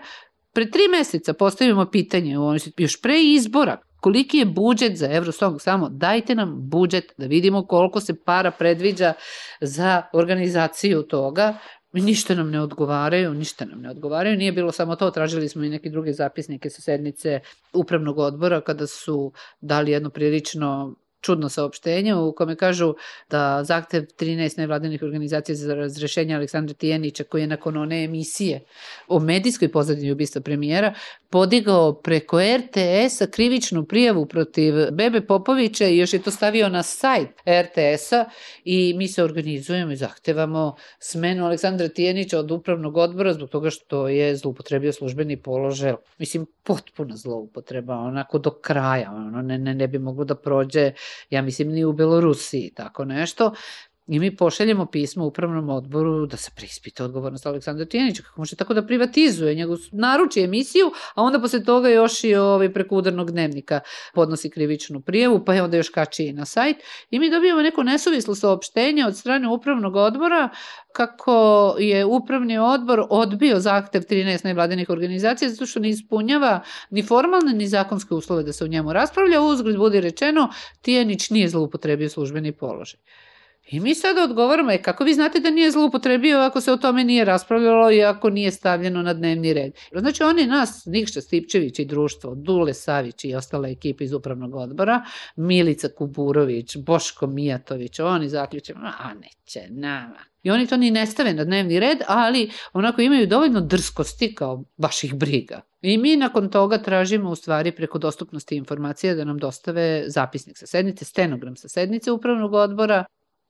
pre tri meseca postavimo pitanje, još pre izbora, koliki je budžet za Eurosong, samo dajte nam budžet da vidimo koliko se para predviđa za organizaciju toga. Ništa nam ne odgovaraju, ništa nam ne odgovaraju. Nije bilo samo to, tražili smo i neke druge zapisnike sa sednice upravnog odbora kada su dali jedno prilično čudno saopštenje u kome kažu da zahtev trinaest nevladinih organizacija za razrešenje Aleksandra Tijanića, koji je nakon one emisije o medijskoj pozadini ubistva premijera podigao preko er te esa krivičnu prijavu protiv Bebe Popovića i još je to stavio na sajt er te esa i mi se organizujemo i zahtevamo smenu Aleksandra Tijanića od upravnog odbora zbog toga što je zloupotrebio službeni položaj. Mislim, potpuna zloupotreba, onako do kraja, ono, ne, ne, ne bi moglo da prođe, ja mislim, ni u Belorusiji, tako nešto. I mi pošaljemo pismo upravnom odboru da se preispita odgovornost Aleksandra Tijanića, kako može tako da privatizuje, njegov naruči emisiju, a onda posle toga još i ovaj preko udarnog dnevnika podnosi krivičnu prijavu, pa je onda još kači i na sajt. I mi dobijemo neko nesuvislo saopštenje od strane upravnog odbora kako je upravni odbor odbio zahtev trinaest nevladinih organizacija zato što ne ispunjava ni formalne ni zakonske uslove da se u njemu raspravlja. Uzgred budi rečeno, Tijanić nije zloupotrebio službeni položaj. I mi sada odgovaramo, e, kako vi znate da nije zloupotrebio ako se o tome nije raspravljalo i ako nije stavljeno na dnevni red? Znači oni nas, Nikša Stipčević i društvo, Dule Savić i ostala ekipa iz upravnog odbora, Milica Kuburović, Boško Mijatović, oni zaključaju, a neće, nama. I oni to ni ne stave na dnevni red, ali onako imaju dovoljno drskosti kao baš ih briga. I mi nakon toga tražimo u stvari preko dostupnosti informacija da nam dostave zapisnik sa sednice, stenogram sa sednice upravnog odbora.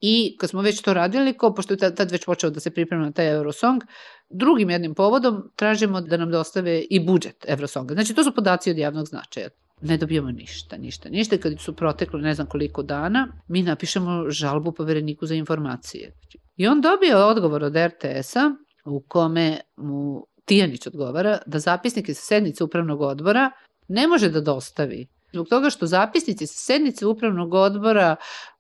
I kad smo već to radili, ko, pošto je tad već počeo da se priprema na taj Eurosong, drugim jednim povodom tražimo da nam dostave i budžet Eurosonga. Znači, to su podaci od javnog značaja. Ne dobijemo ništa, ništa, ništa. Kad su proteklo ne znam koliko dana, mi napišemo žalbu povereniku za informacije. I on dobije odgovor od er te esa u kome mu Tijanić odgovara da zapisnike sa sednice upravnog odbora ne može da dostavi. Zbog toga što zapisnici sa sednice upravnog odbora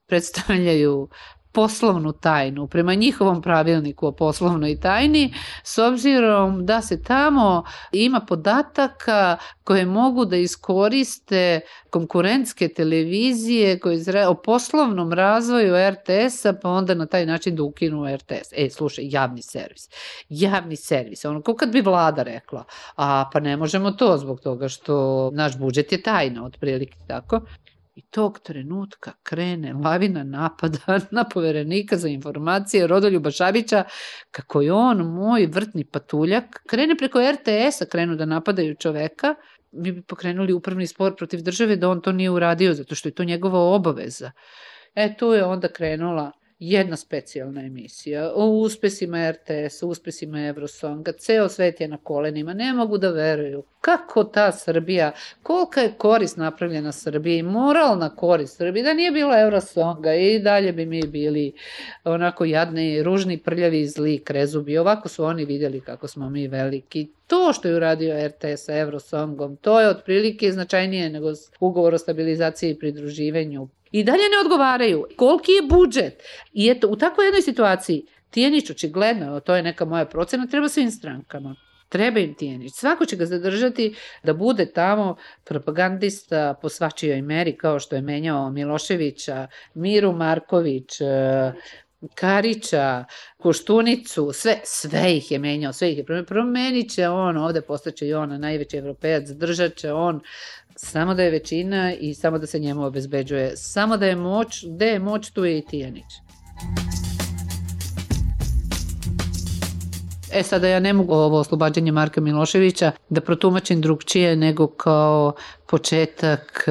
predstavljaju poslovnu tajnu, prema njihovom pravilniku o poslovnoj tajni, s obzirom da se tamo ima podataka koje mogu da iskoriste konkurentske televizije koje zre, o poslovnom razvoju er te esa, pa onda na taj način da ukinu er te es. E, slušaj, javni servis. Javni servis. Ono, kao kad bi vlada rekla, a pa ne možemo to zbog toga što naš budžet je tajna, otprilike tako. I tog trenutka krene lavina napada na poverenika za informacije Rodoljuba Šabića, kako je on, moj vrtni patuljak, krene preko er te esa, krenu da napadaju čoveka, mi bi pokrenuli upravni spor protiv države da on to nije uradio, zato što je to njegova obaveza. E, tu je onda krenula jedna specijalna emisija o uspesima er te es, o uspesima Eurosonga, ceo svet je na kolenima, ne mogu da veruju kako ta Srbija, kolika je korist napravljena Srbiji, moralna korist Srbiji, da nije bilo Eurosonga i dalje bi mi bili onako jadni, ružni, prljavi, zli, krezubi, ovako su oni vidjeli kako smo mi veliki. To što je uradio er te es sa Eurosongom, to je otprilike značajnije nego ugovor o stabilizaciji i pridruživanju. I dalje ne odgovaraju. Koliki je budžet? I eto, u takvoj jednoj situaciji, Tijanić očigledno, to je neka moja procena, treba svim strankama. Treba im Tijanić. Svako će ga zadržati da bude tamo propagandista po svačijoj meri, kao što je menjao Miloševića, Miru Marković, Karića, Koštunicu, sve, sve ih je menjao, sve ih je promenio. Promenit će on, ovde postaće i on najveći evropejac, zadržat će on, samo da je većina i samo da se njemu obezbeđuje. Samo da je moć, gde je moć, tu je i Tijanić. E sada ja ne mogu ovo oslobađanje Marka Miloševića da protumačim drugčije nego kao početak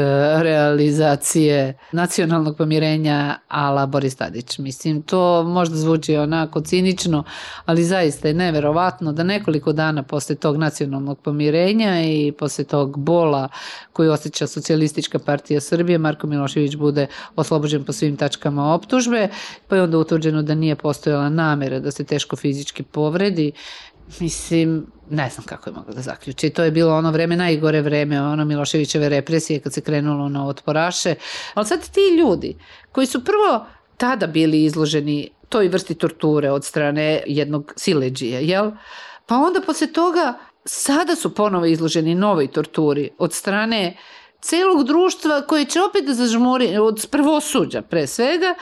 realizacije nacionalnog pomirenja ala Boris Tadić. Mislim, to možda zvuči onako cinično, ali zaista je neverovatno da nekoliko dana posle tog nacionalnog pomirenja i posle tog bola koji osjeća Socijalistička partija Srbije, Marko Milošević bude oslobođen po svim tačkama optužbe, pa je onda utvrđeno da nije postojala namera da se teško fizički povredi. Mislim, ne znam kako je mogla da zaključi. To je bilo ono vreme, najgore vreme, ono Miloševićeve represije kad se krenulo na otporaše. Ali sad ti ljudi koji su prvo tada bili izloženi toj vrsti torture od strane jednog siledžija, jel? Pa onda posle toga sada su ponovo izloženi novoj torturi od strane celog društva koje će opet da zažmuri od prvosuđa pre svega.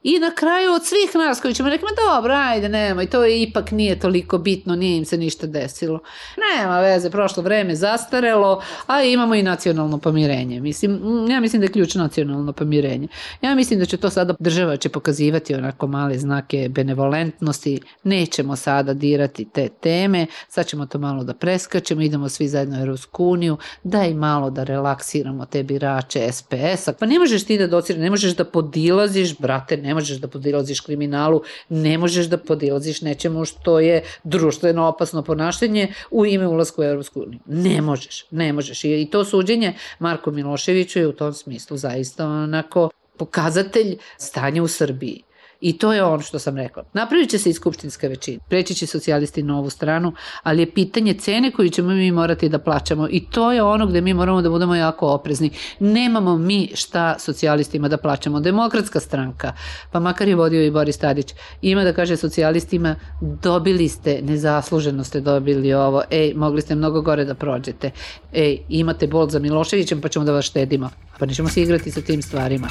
I na kraju od svih nas koji ćemo reći, ma dobro, ajde, nemoj, to je ipak nije toliko bitno, nije im se ništa desilo. Nema veze, prošlo vreme, zastarelo, a imamo i nacionalno pomirenje. Mislim, ja mislim da je ključ nacionalno pomirenje. Ja mislim da će to sada država će pokazivati onako male znake benevolentnosti, nećemo sada dirati te teme, sad ćemo to malo da preskačemo, idemo svi zajedno u Evropsku uniju, daj malo da relaksiramo te birače es pe es-a. Pa ne možeš ti da dociraš, ne možeš da podilaziš, brate, ne možeš da podilaziš kriminalu, ne možeš da podilaziš nečemu što je društveno opasno ponašanje u ime ulaska u Evropsku uniju. Ne možeš, ne možeš. I to suđenje Marku Miloševiću je u tom smislu zaista onako pokazatelj stanja u Srbiji. I to je ono što sam rekla. Napravit će se i skupštinska većina. Preći će socijalisti na ovu stranu, ali je pitanje cene koju ćemo mi morati da plaćamo. I to je ono gde mi moramo da budemo jako oprezni. Nemamo mi šta socijalistima da plaćamo. Demokratska stranka, pa makar je vodio i Boris Tadić, ima da kaže socijalistima, dobili ste, nezasluženo ste dobili ovo, ej, mogli ste mnogo gore da prođete. Ej, imate bol za Miloševićem, pa ćemo da vas štedimo. Pa nećemo se igrati sa tim stvarima.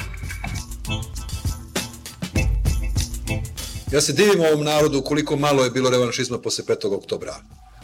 Ja se divim ovom narodu koliko malo je bilo revanšizma posle petog oktobra.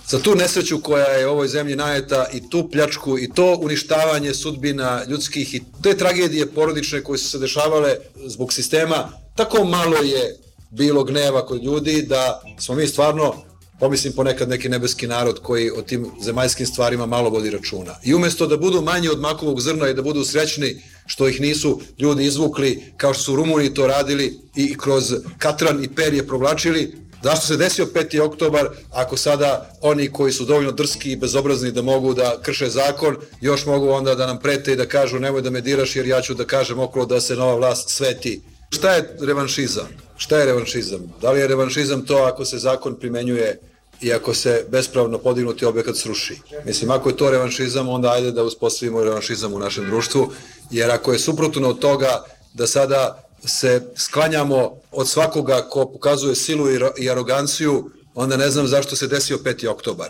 Za tu nesreću koja je ovoj zemlji najeta i tu pljačku i to uništavanje sudbina ljudskih i te tragedije porodične koje su se dešavale zbog sistema, tako malo je bilo gneva kod ljudi da smo mi stvarno, pomislim ponekad neki nebeski narod koji o tim zemaljskim stvarima malo vodi računa. I umesto da budu manji od makovog zrna i da budu srećni što ih nisu ljudi izvukli kao što su Rumuni to radili i kroz katran i perje provlačili, zašto se desio peti oktobar ako sada oni koji su dovoljno drski i bezobrazni da mogu da krše zakon, još mogu onda da nam prete i da kažu nemoj da me diraš jer ja ću da kažem okolo da se nova vlast sveti. Šta je revanšizam? Šta je revanšizam? Da li je revanšizam to ako se zakon primenjuje i ako se bespravno podignuti objekat sruši? Mislim, ako je to revanšizam, onda ajde da uspostavimo revanšizam u našem društvu, jer ako je suprotno od toga da sada se sklanjamo od svakoga ko pokazuje silu i aroganciju, onda ne znam zašto se desio peti oktobar.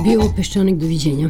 Bio Peščanik, doviđenja.